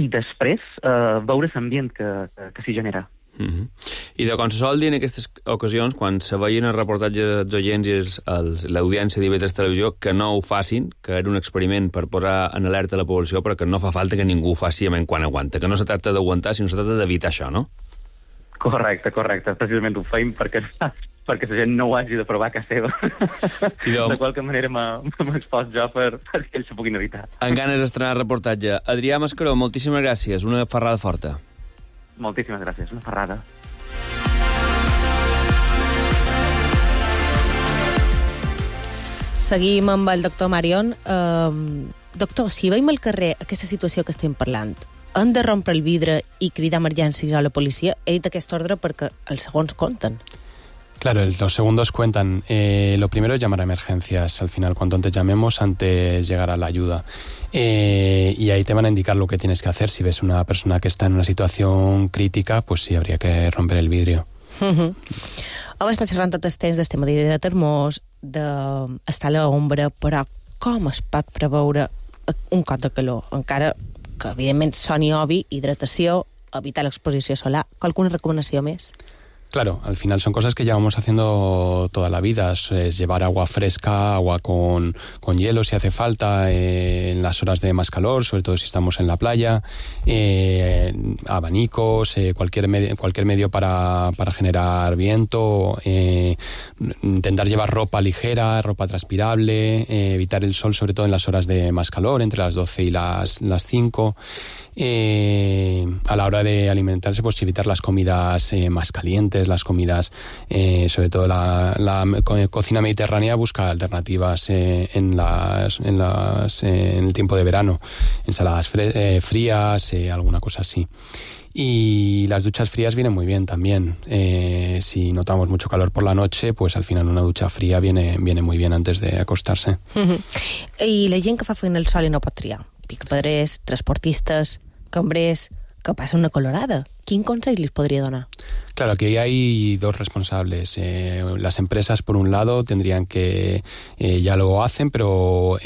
J: i després veure l'ambient que s'hi genera.
D: I de com se sol dir en aquestes ocasions, quan se veien el reportatge dels oients i l'audiència d'IV3 Televisió, que no ho facin, que era un experiment per posar en alerta la població, però que no fa falta que ningú ho faci quan aguanta, que no se tracta d'aguantar, sinó se tracta d'evitar això, no?
J: Correcte. Precisament ho feim perquè la gent no ho hagi de provar a casa seva. De qualque manera m'he expost jo perquè ells s'ho puguin evitar.
D: En ganes d'estrenar reportatge. Adrià Mascaró, moltíssimes gràcies. Una ferrada forta.
J: Moltíssimes gràcies. Una ferrada.
E: Seguim amb el doctor Marion. Doctor, si veiem al carrer aquesta situació que estem parlant, han de rompre el vidre y cridar emergències a la policía. He dit aquest ordre perquè els segons compten.
K: Claro, los segundos cuentan. Lo primero es llamar a emergencias. Al final, cuanto antes llamemos, antes llegará la ayuda. Y ahí te van a indicar lo que tienes que hacer. Si ves una persona que está en una situación crítica, pues sí, habría que romper el vidrio.
E: Hem estat xerrant tot el temps del tema de termós, d'estar a l'ombra, però com es pot preveure un cop de calor? Encara que evidentment soni obvi, hidratació, evitar l'exposició solar. Alguna recomanació més?
K: Claro, al final son cosas que llevamos haciendo toda la vida. Es llevar agua fresca, agua con hielo si hace falta, en las horas de más calor, sobre todo si estamos en la playa, abanicos, cualquier medio para generar viento, intentar llevar ropa ligera, ropa transpirable, evitar el sol sobre todo en las horas de más calor, entre las 12 y las 5. A la hora de alimentarse, pues evitar las comidas más calientes, las comidas, sobre todo la cocina mediterránea busca alternativas en el tiempo de verano, ensaladas frías, alguna cosa así. Y las duchas frías vienen muy bien también. Si notamos mucho calor por la noche, pues al final una ducha fría viene muy bien antes de acostarse.
E: I la gent que fa feina al sol i no pot triar? Picapedrers, transportistes, cambrers, que passa una colorada. Quin consell les podria donar?
K: Claro, aquí hay dos responsables. Las empresas, por un lado, tendrían que, ya lo hacen, pero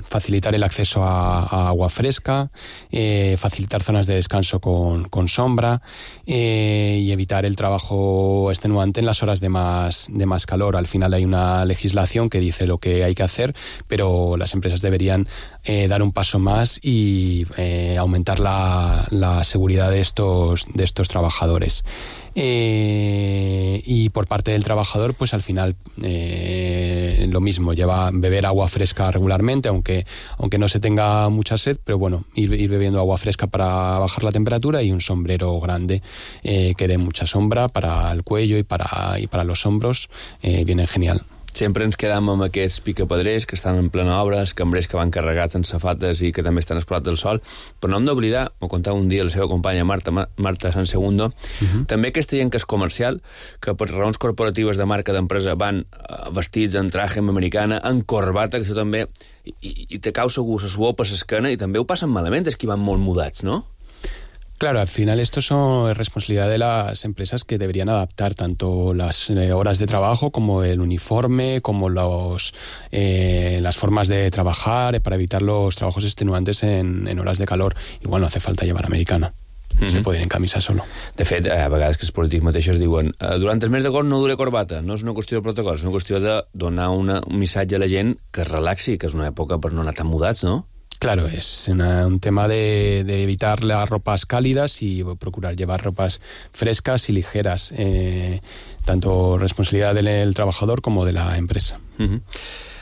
K: facilitar el acceso a agua fresca, facilitar zonas de descanso con sombra, y evitar el trabajo extenuante en las horas de más calor. Al final hay una legislación que dice lo que hay que hacer, pero las empresas deberían dar un paso más y aumentar la seguridad de estos trabajadores. Y por parte del trabajador, pues al final lo mismo, beber agua fresca regularmente, aunque no se tenga mucha sed, pero bueno, ir bebiendo agua fresca para bajar la temperatura, y un sombrero grande que dé mucha sombra para el cuello y para los hombros, viene genial.
D: Sempre ens quedam amb aquests picapedrers que estan en plena obra, els cambrers que van carregats en safates i que també estan exposats al sol, però no hem d'oblidar, m'ho contava un dia la seva companya Marta Sansegundo, també aquesta gent que és comercial, que per raons corporatives de marca d'empresa van vestits en traje americana, en corbata, que això també, i te cau segur la suor per l'esquena, i també ho passen malament, és que van molt mudats, no?
K: Claro, al final esto es responsabilidad de las empresas, que deberían adaptar tanto las horas de trabajo como el uniforme, como las formas de trabajar, para evitar los trabajos extenuantes en horas de calor. Igual no hace falta llevar americana. Se puede ir en camisa solo.
D: De fet, a vegades que els polítics mateixos diuen durant el mes d'agost no dure corbata. No és una qüestió de protocol, és una qüestió de donar un missatge a la gent que es relaxi, que és una època per no anar tan mudats, no?
K: Claro, es un tema de evitar las ropas cálidas y procurar llevar ropas frescas y ligeras, tanto responsabilidad del trabajador como de la empresa.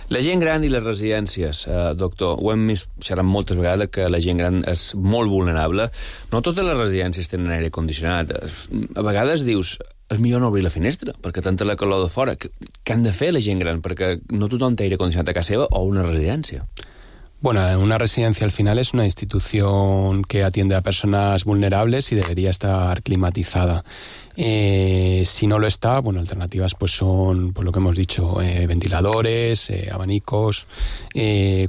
D: La gent gran i les residències, doctor, ho hem xerrat moltes vegades, que la gent gran és molt vulnerable. No totes les residències tenen aire condicionat. A vegades dius, és millor no obrir la finestra, perquè tanta la calor de fora. Què han de fer la gent gran? Perquè no tothom té aire condicionat a casa seva o una residència.
K: Bueno, una residencia al final es una institución que atiende a personas vulnerables y debería estar climatizada. Si no lo está, bueno, alternativas pues son, pues lo que hemos dicho, ventiladores, abanicos,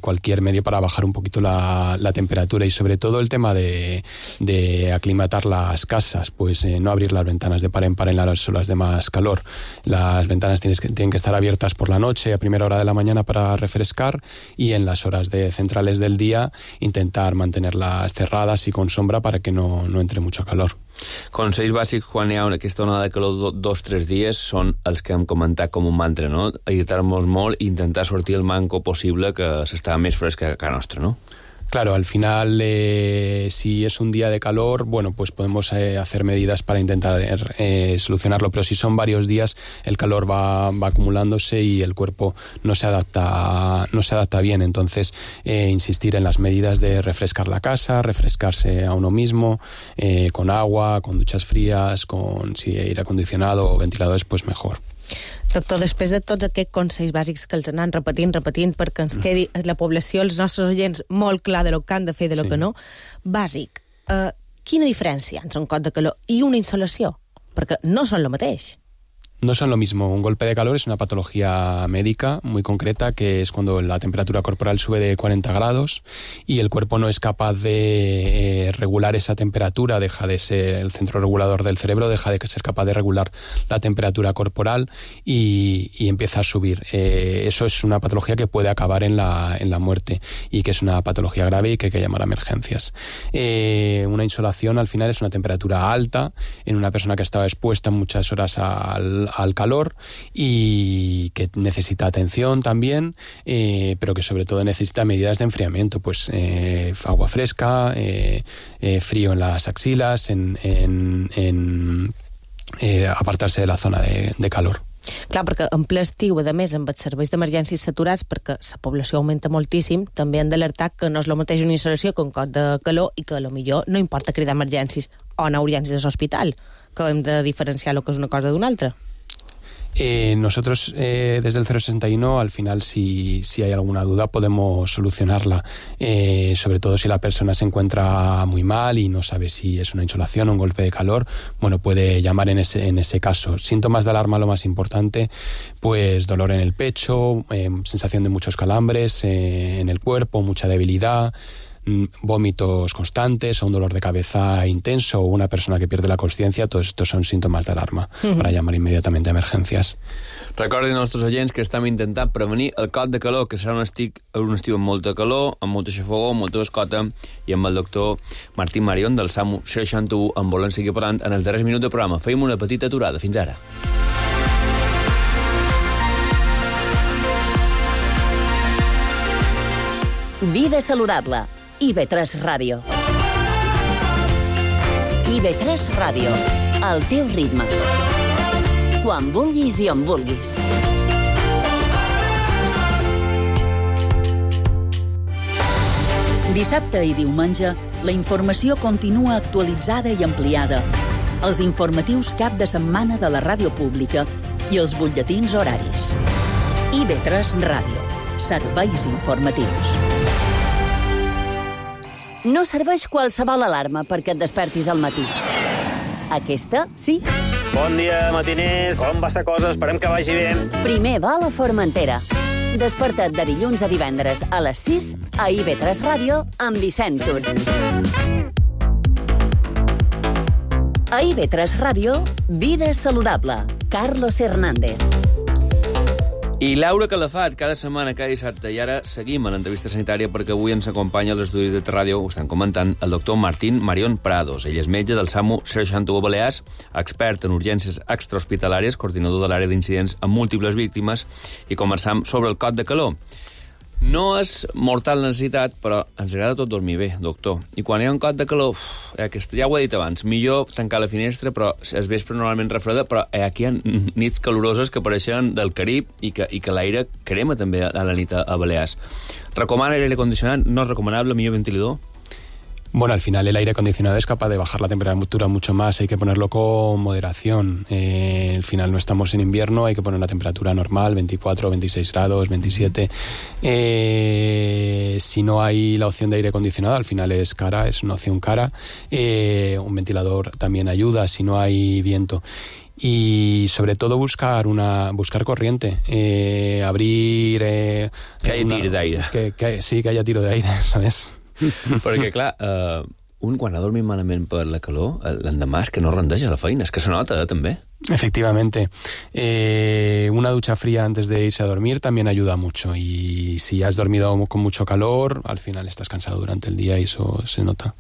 K: cualquier medio para bajar un poquito la temperatura, y sobre todo el tema de aclimatar las casas, pues no abrir las ventanas de par en par en las horas de más calor. Las ventanas tienen que estar abiertas por la noche, a primera hora de la mañana, para refrescar, y en las horas centrales del día intentar mantenerlas cerradas y con sombra para que no entre mucho calor.
D: Consells bàsics quan hi ha aquesta onada de calor 2-3 dies són els que hem comentat com un mantra, no? Agitar-nos molt i intentar sortir el manco possible, que s'està més fresca que a casa nostra, no?
K: Claro, al final, si es un día de calor, bueno, pues podemos hacer medidas para intentar solucionarlo, pero si son varios días, el calor va acumulándose y el cuerpo no se adapta bien. Entonces, insistir en las medidas de refrescar la casa, refrescarse a uno mismo, con agua, con duchas frías, con si aire acondicionado o ventiladores, pues mejor.
E: Doctor, després de tots aquests consells bàsics que els anem repetint, perquè ens quedi a la població, els nostres oients, molt clar de lo que han de fer i de lo que no, bàsic, quina diferència entre un cot de calor i una insolació? Perquè no són el mateix.
K: No son lo mismo. Un golpe de calor es una patología médica muy concreta, que es cuando la temperatura corporal sube de 40 grados y el cuerpo no es capaz de regular esa temperatura, deja de ser el centro regulador del cerebro, deja de ser capaz de regular la temperatura corporal y empieza a subir. Eso es una patología que puede acabar en la muerte y que es una patología grave y que hay que llamar a emergencias. Una insolación al final es una temperatura alta en una persona que ha estado expuesta muchas horas al calor y que necesita atención también, pero que sobre todo necesita medidas de enfriamiento, pues agua fresca, frío en las axilas, apartarse de la zona de calor.
E: Clar, perquè en ple estiu, a més, amb els serveis d'emergències saturats, perquè la població augmenta moltíssim, també han d'alertar que no és el mateix una instal·lació que un cot de calor i que potser no importa cridar emergències o anar a urgències a l'hospital, que hem de diferenciar el que és una cosa d'una altra.
K: Nosotros desde el 061 al final si hay alguna duda podemos solucionarla, sobre todo si la persona se encuentra muy mal y no sabe si es una insolación o un golpe de calor, bueno, puede llamar en ese caso. Síntomas de alarma, lo más importante, pues dolor en el pecho, sensación de muchos calambres en el cuerpo, mucha debilidad, vómitos constantes o un dolor de cabeza intenso o una persona que pierde la consciencia. Todos estos son síntomas de alarma para llamar inmediatamente a emergencias.
D: Recordin als nostres oients que estem intentant prevenir el cot de calor, que serà un estiu amb molta calor, amb molta xafogor, amb molta bascota, i amb el doctor Martín Marion del SAMU 61 en volen seguir parlant en els darrers minuts de programa. Feim una petita aturada. Fins ara.
C: Vida saludable. IB3 Ràdio. IB3 Ràdio. El teu ritme. Quan vulguis i on vulguis.
B: Dissabte i diumenge, la informació continua actualitzada i ampliada. Els informatius cap de setmana de la ràdio pública i els butlletins horaris. IB3 Ràdio. Serveis informatius.
C: No serveix qualsevol alarma perquè et despertis al matí. Aquesta, sí.
L: Bon dia, matiners. Com va la cosa? Esperem que vagi bé.
C: Primer va a la Formentera. Desperta't de dilluns a divendres a les 6 a IB3 Ràdio amb Vicent Tur. A IB3 Ràdio, Vida saludable. Carlos Hernández.
D: I Laura Calafat, cada setmana, cada dissabte. I ara seguim a l'entrevista sanitària perquè avui ens acompanya als estudis de ràdio, ho estan comentant, el doctor Martín Marion Prados. Ell és metge del SAMU 61 Balears, expert en urgències extrahospitalàries, coordinador de l'àrea d'incidents amb múltiples víctimes, i conversam sobre el cot de calor. No és mortal necessitat, però ens agrada tot dormir bé, doctor. I quan hi ha un cot de calor, ja ho he dit abans, millor tancar la finestra, però es vespre normalment refreda, però aquí hi ha nits caloroses que apareixen del Carib i que l'aire crema també a la nit a Balears. Recomana aire condicionat? No és recomanable, millor ventilador?
K: Bueno, al final el aire acondicionado es capaz de bajar la temperatura mucho más, hay que ponerlo con moderación. Al final no estamos en invierno, hay que poner una temperatura normal, 24, 26 grados, 27. Si no hay la opción de aire acondicionado, al final es cara, es una opción cara. Un ventilador también ayuda si no hay viento. Y sobre todo buscar corriente, abrir...
D: que haya tiro d'aire.
K: Sí, que haya tiro d'aire, eso es.
D: Perquè, clar, un quan ha dormit malament per la calor, l'endemà és que no rendeix a la feina, és que se nota, també.
K: Efectivamente. Una ducha fría antes de irse a dormir también ayuda mucho. Y si has dormido con mucho calor, al final estás cansado durante el día y eso se nota.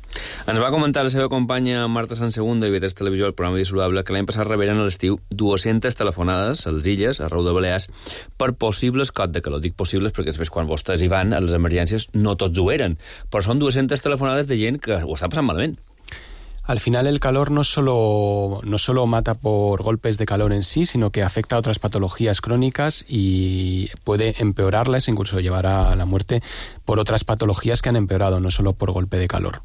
D: Ens va comentar la seva companya Marta Sansegundo, d'IB3 Televisió, el programa Vida Saludable, que l'any passat reberen a l'estiu 200 telefonades a les illes, a Rau de Balears, per possibles cot de calor. Dic possibles perquè després quan vostès hi van a les emergències no tots ho eren, però són 200 telefonades de gent que ho està passant malament.
K: Al final el calor no solo mata por golpes de calor en sí, sino que afecta a otras patologías crónicas y puede empeorarlas, incluso llevar a la muerte por otras patologías que han empeorado, no solo por golpe de calor.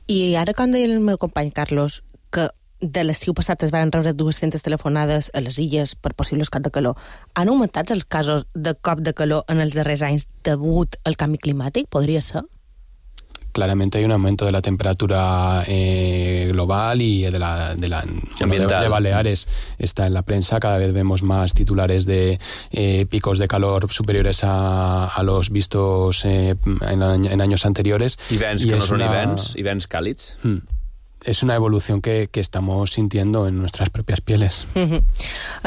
E: I ara, com deia el meu company Carlos, que de l'estiu passat es van rebre 200 telefonades a les illes per possibles cot de calor, han augmentat els casos de cop de calor en els darrers anys degut al canvi climàtic? Podria ser?
K: claramente hay un aumento de la temperatura global y de Baleares. Está en la prensa, cada vez vemos más titulares de picos de calor superiores a los vistos en años anteriores.
D: Hiverns que no són hiverns càlids.
K: És una evolució que estamos sintiendo en nuestras propias pieles.
E: En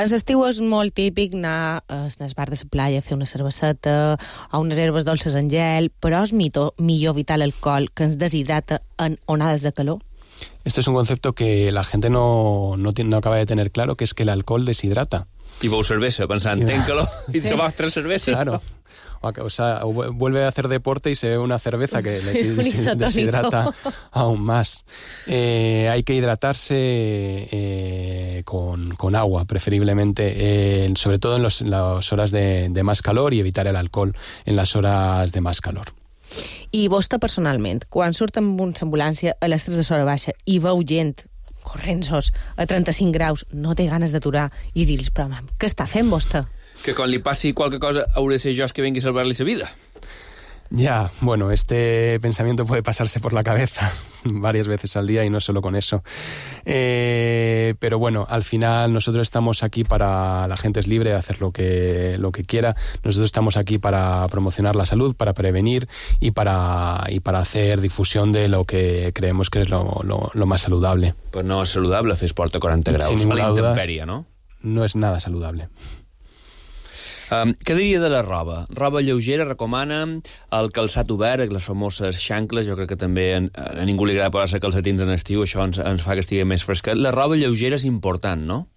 E: l'estiu és molt típic anar al bar de la playa a fer una cerveseta o unes herbes dolces en gel, però és millor evitar l'alcohol que ens deshidrata en onades de calor?
K: Esto es un concepto que la gente no acaba de tener claro, que es que el alcohol deshidrata.
D: I beu cervesa, pensant, ten calor, i se va 3 cerveses.
K: Claro. O sea, vuelve a hacer deporte y se ve una cerveza que deshidrata aún más. Hay que hidratarse con agua, preferiblemente, sobre todo en las horas de más calor, y evitar el alcohol en las horas de más calor.
E: I vostè, personalment, quan surt amb una ambulància a les 3 de l'hora baixa i veu gent corrents a 35 graus, no té ganes d'aturar i dir-los, però què està fent vostè?
D: Que quan li passi qualque cosa hauré de ser jo que vengui a salvar-li la vida.
K: Ya, bueno, este pensamiento puede pasarse por la cabeza varias veces al día y no solo con eso. Pero bueno, al final nosotros estamos aquí para... La gente es libre de hacer lo que quiera. Nosotros estamos aquí para promocionar la salud, para prevenir y para hacer difusión de lo que creemos que es lo más saludable.
D: Pues no és saludable fer esport a 40 graus a la intempèrie, no?
K: No és nada saludable.
D: Què diria de la roba? Roba lleugera, recomana el calçat obert, les famoses xancles, jo crec que també a ningú li agrada posar-se calcetins en estiu, això ens fa que estigui més fresca. La roba lleugera és important, no?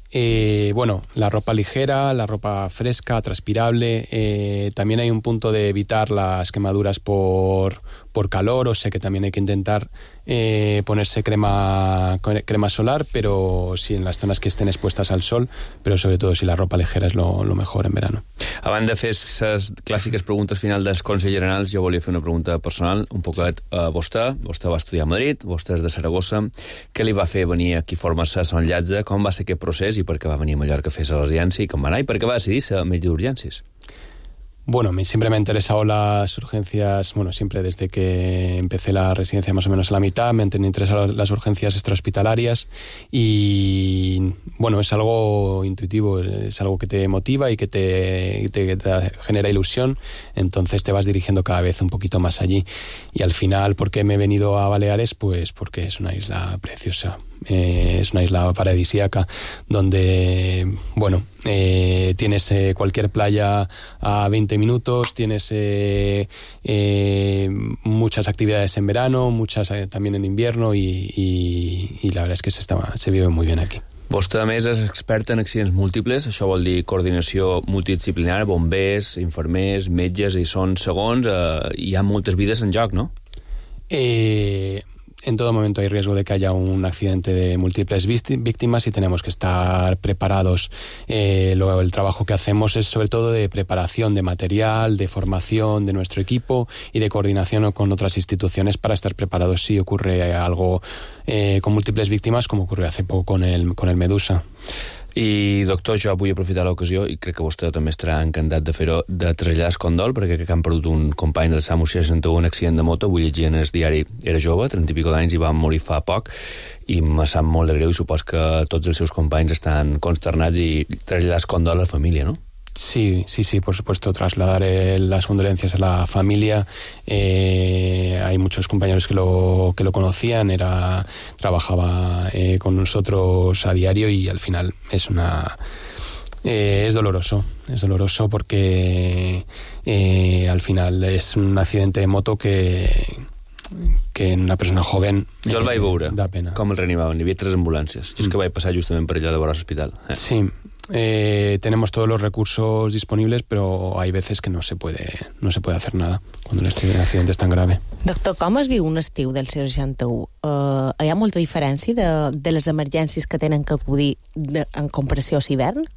K: Bueno, la ropa ligera, la ropa fresca, transpirable, también hay un punto de evitar las quemaduras por calor, o sea que también hay que intentar ponerse crema solar, pero sí en las zonas que estén expuestas al sol, pero sobre todo si la ropa ligera es lo mejor en verano.
D: Abans de fer les clàssiques preguntes final dels Consells Generals, jo volia fer una pregunta personal, un poquet a vostè. Vostè va estudiar a Madrid, vostè és de Saragossa. Què li va fer venir aquí a formar-se a Sant Llatge? Com va ser aquest procés i per què va venir a Mallorca a fer la residència i com va anar i per què va decidir ser metge d'urgències?
K: Bueno, siempre me han interesado las urgencias, bueno, siempre desde que empecé la residencia más o menos a la mitad, me han interesado las urgencias extrahospitalarias y, bueno, es algo intuitivo, es algo que te motiva y que te genera ilusión, entonces te vas dirigiendo cada vez un poquito más allí. Y al final, ¿por qué me he venido a Baleares? Pues porque es una isla preciosa. Es una isla paradisíaca donde, bueno, tienes cualquier playa a 20 minutos, tienes muchas actividades en verano, muchas también en invierno y la verdad es que se vive muy bien aquí.
D: Vostè, a més, és expert en accidents múltiples, això vol dir coordinació multidisciplinària, bombers, infermers, metges, i són segons, hi ha moltes vides en joc, no?
K: En todo momento hay riesgo de que haya un accidente de múltiples víctimas y tenemos que estar preparados. Luego el trabajo que hacemos es sobre todo de preparación de material, de formación de nuestro equipo y de coordinación con otras instituciones para estar preparados si ocurre algo con múltiples víctimas, como ocurrió hace poco con el Medusa.
D: I, doctor, jo vull aprofitar l'ocasió, i crec que vostè també estarà encantat de fer-ho, de traslladar el condol, perquè crec que han perdut un company del SAMU 61 en un accident de moto, avui llegia en el diari, era jove, 30 i pico d'anys, i va morir fa poc, i me sap molt de greu, i supos que tots els seus companys estan consternats i traslladar el condol a la família, no?
K: Sí, por supuesto, trasladar las condolencias a la familia. Hay muchos compañeros que lo conocían, trabajaba con nosotros a diario y al final es doloroso porque al final es un accidente de moto que en una persona joven
D: jo el vaig veure,
K: da pena.
D: Com el reanimaven, hi havia 3 ambulàncies. Jo és que vaig passar justament per allà de vora l'hospital.
K: Sí, tenemos todos los recursos disponibles, pero hay veces que no se puede hacer nada cuando el accidente es tan grave.
E: Doctor, com es viu un estiu del 61? Hi ha molta diferència de les emergències que tenen que acudir en comparació a l'hivern?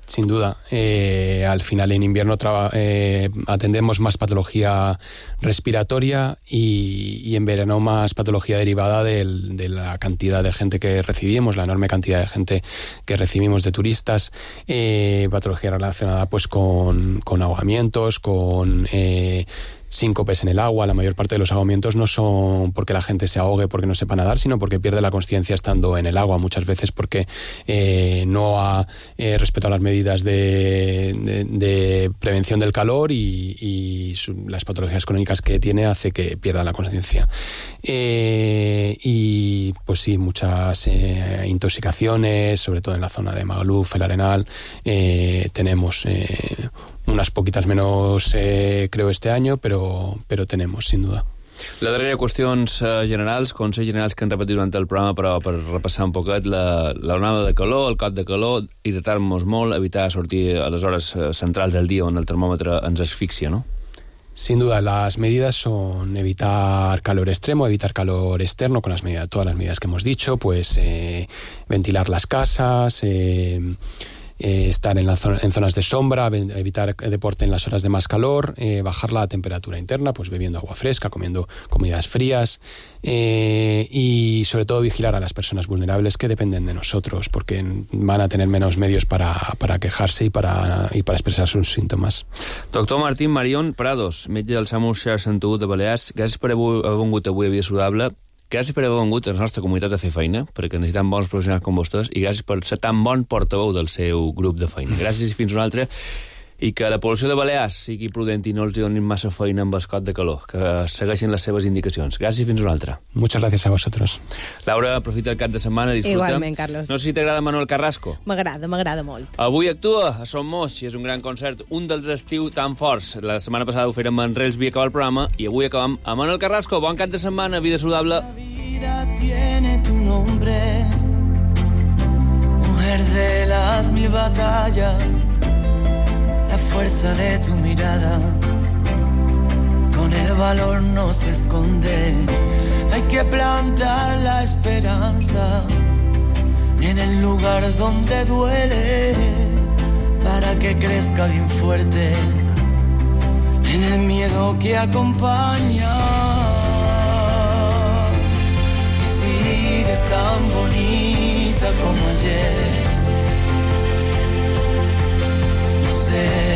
K: Sin duda. Al final en invierno atendemos más patología respiratoria y en verano más patología derivada de la cantidad de gente que recibimos, la enorme cantidad de gente que recibimos de turistas, patología relacionada pues con ahogamientos, con síncopes en el agua. La mayor parte de los ahogamientos no son porque la gente se ahogue porque no sepa nadar, sino porque pierde la conciencia estando en el agua, muchas veces porque no ha respetado las medidas de prevención del calor y las patologías crónicas que tiene hace que pierda la conciencia. Y pues sí, muchas intoxicaciones, sobre todo en la zona de Magaluf, el Arenal. Tenemos unas poquitas menos, creo, este año, pero tenemos, sin duda.
D: La darrera, qüestions generals, consells generals que hem repetit durant el programa, però per repassar un poquet l'onada de calor, el cot de calor, hidratar-nos molt, evitar sortir a les hores centrals del dia on el termòmetre ens asfixia, ¿no?
K: Sin duda, las medidas son evitar calor extremo, evitar calor externo con todas las medidas que hemos dicho, pues ventilar las casas, estar en zonas de sombra, evitar deporte en las horas de más calor, bajar la temperatura interna, pues bebiendo agua fresca, comiendo comidas frías y sobre todo vigilar a las personas vulnerables que dependen de nosotros, porque van a tener menos medios para quejarse y para expresar sus síntomas.
D: Doctor Martín Marión Prados, metge del SAMU 61 de Balears, gràcies per haver vingut avui a Vida Saludable. Gràcies per haver vingut a la nostra comunitat a fer feina, perquè necessitem bons professionals com vostès, i gràcies per ser tan bon portaveu del seu grup de feina. Gràcies i fins una altra. I que la població de Balears sigui prudent i no els donin massa feina amb el cot de calor, que segueixin les seves indicacions. Gràcies i fins una altra.
K: Muchas gracias a vosotros.
D: Laura, aprofita el cap de setmana, disfruta.
E: Igualment, Carlos.
D: No sé si t'agrada Manuel Carrasco.
E: M'agrada molt.
D: Avui actua a Som Moix, i és un gran concert, un dels estiu tan forts. La setmana passada ho fèrem amb Manrels, havia acabat el programa, i avui acabam amb Manuel Carrasco. Bon cap de setmana, Vida Saludable.
M: La vida tiene tu nombre, mujer de las 1000 batallas, la fuerza de tu mirada, con el valor no se esconde. Hay que plantar la esperanza en el lugar donde duele, para que crezca bien fuerte en el miedo que acompaña. Y sigues tan bonita como ayer. No sé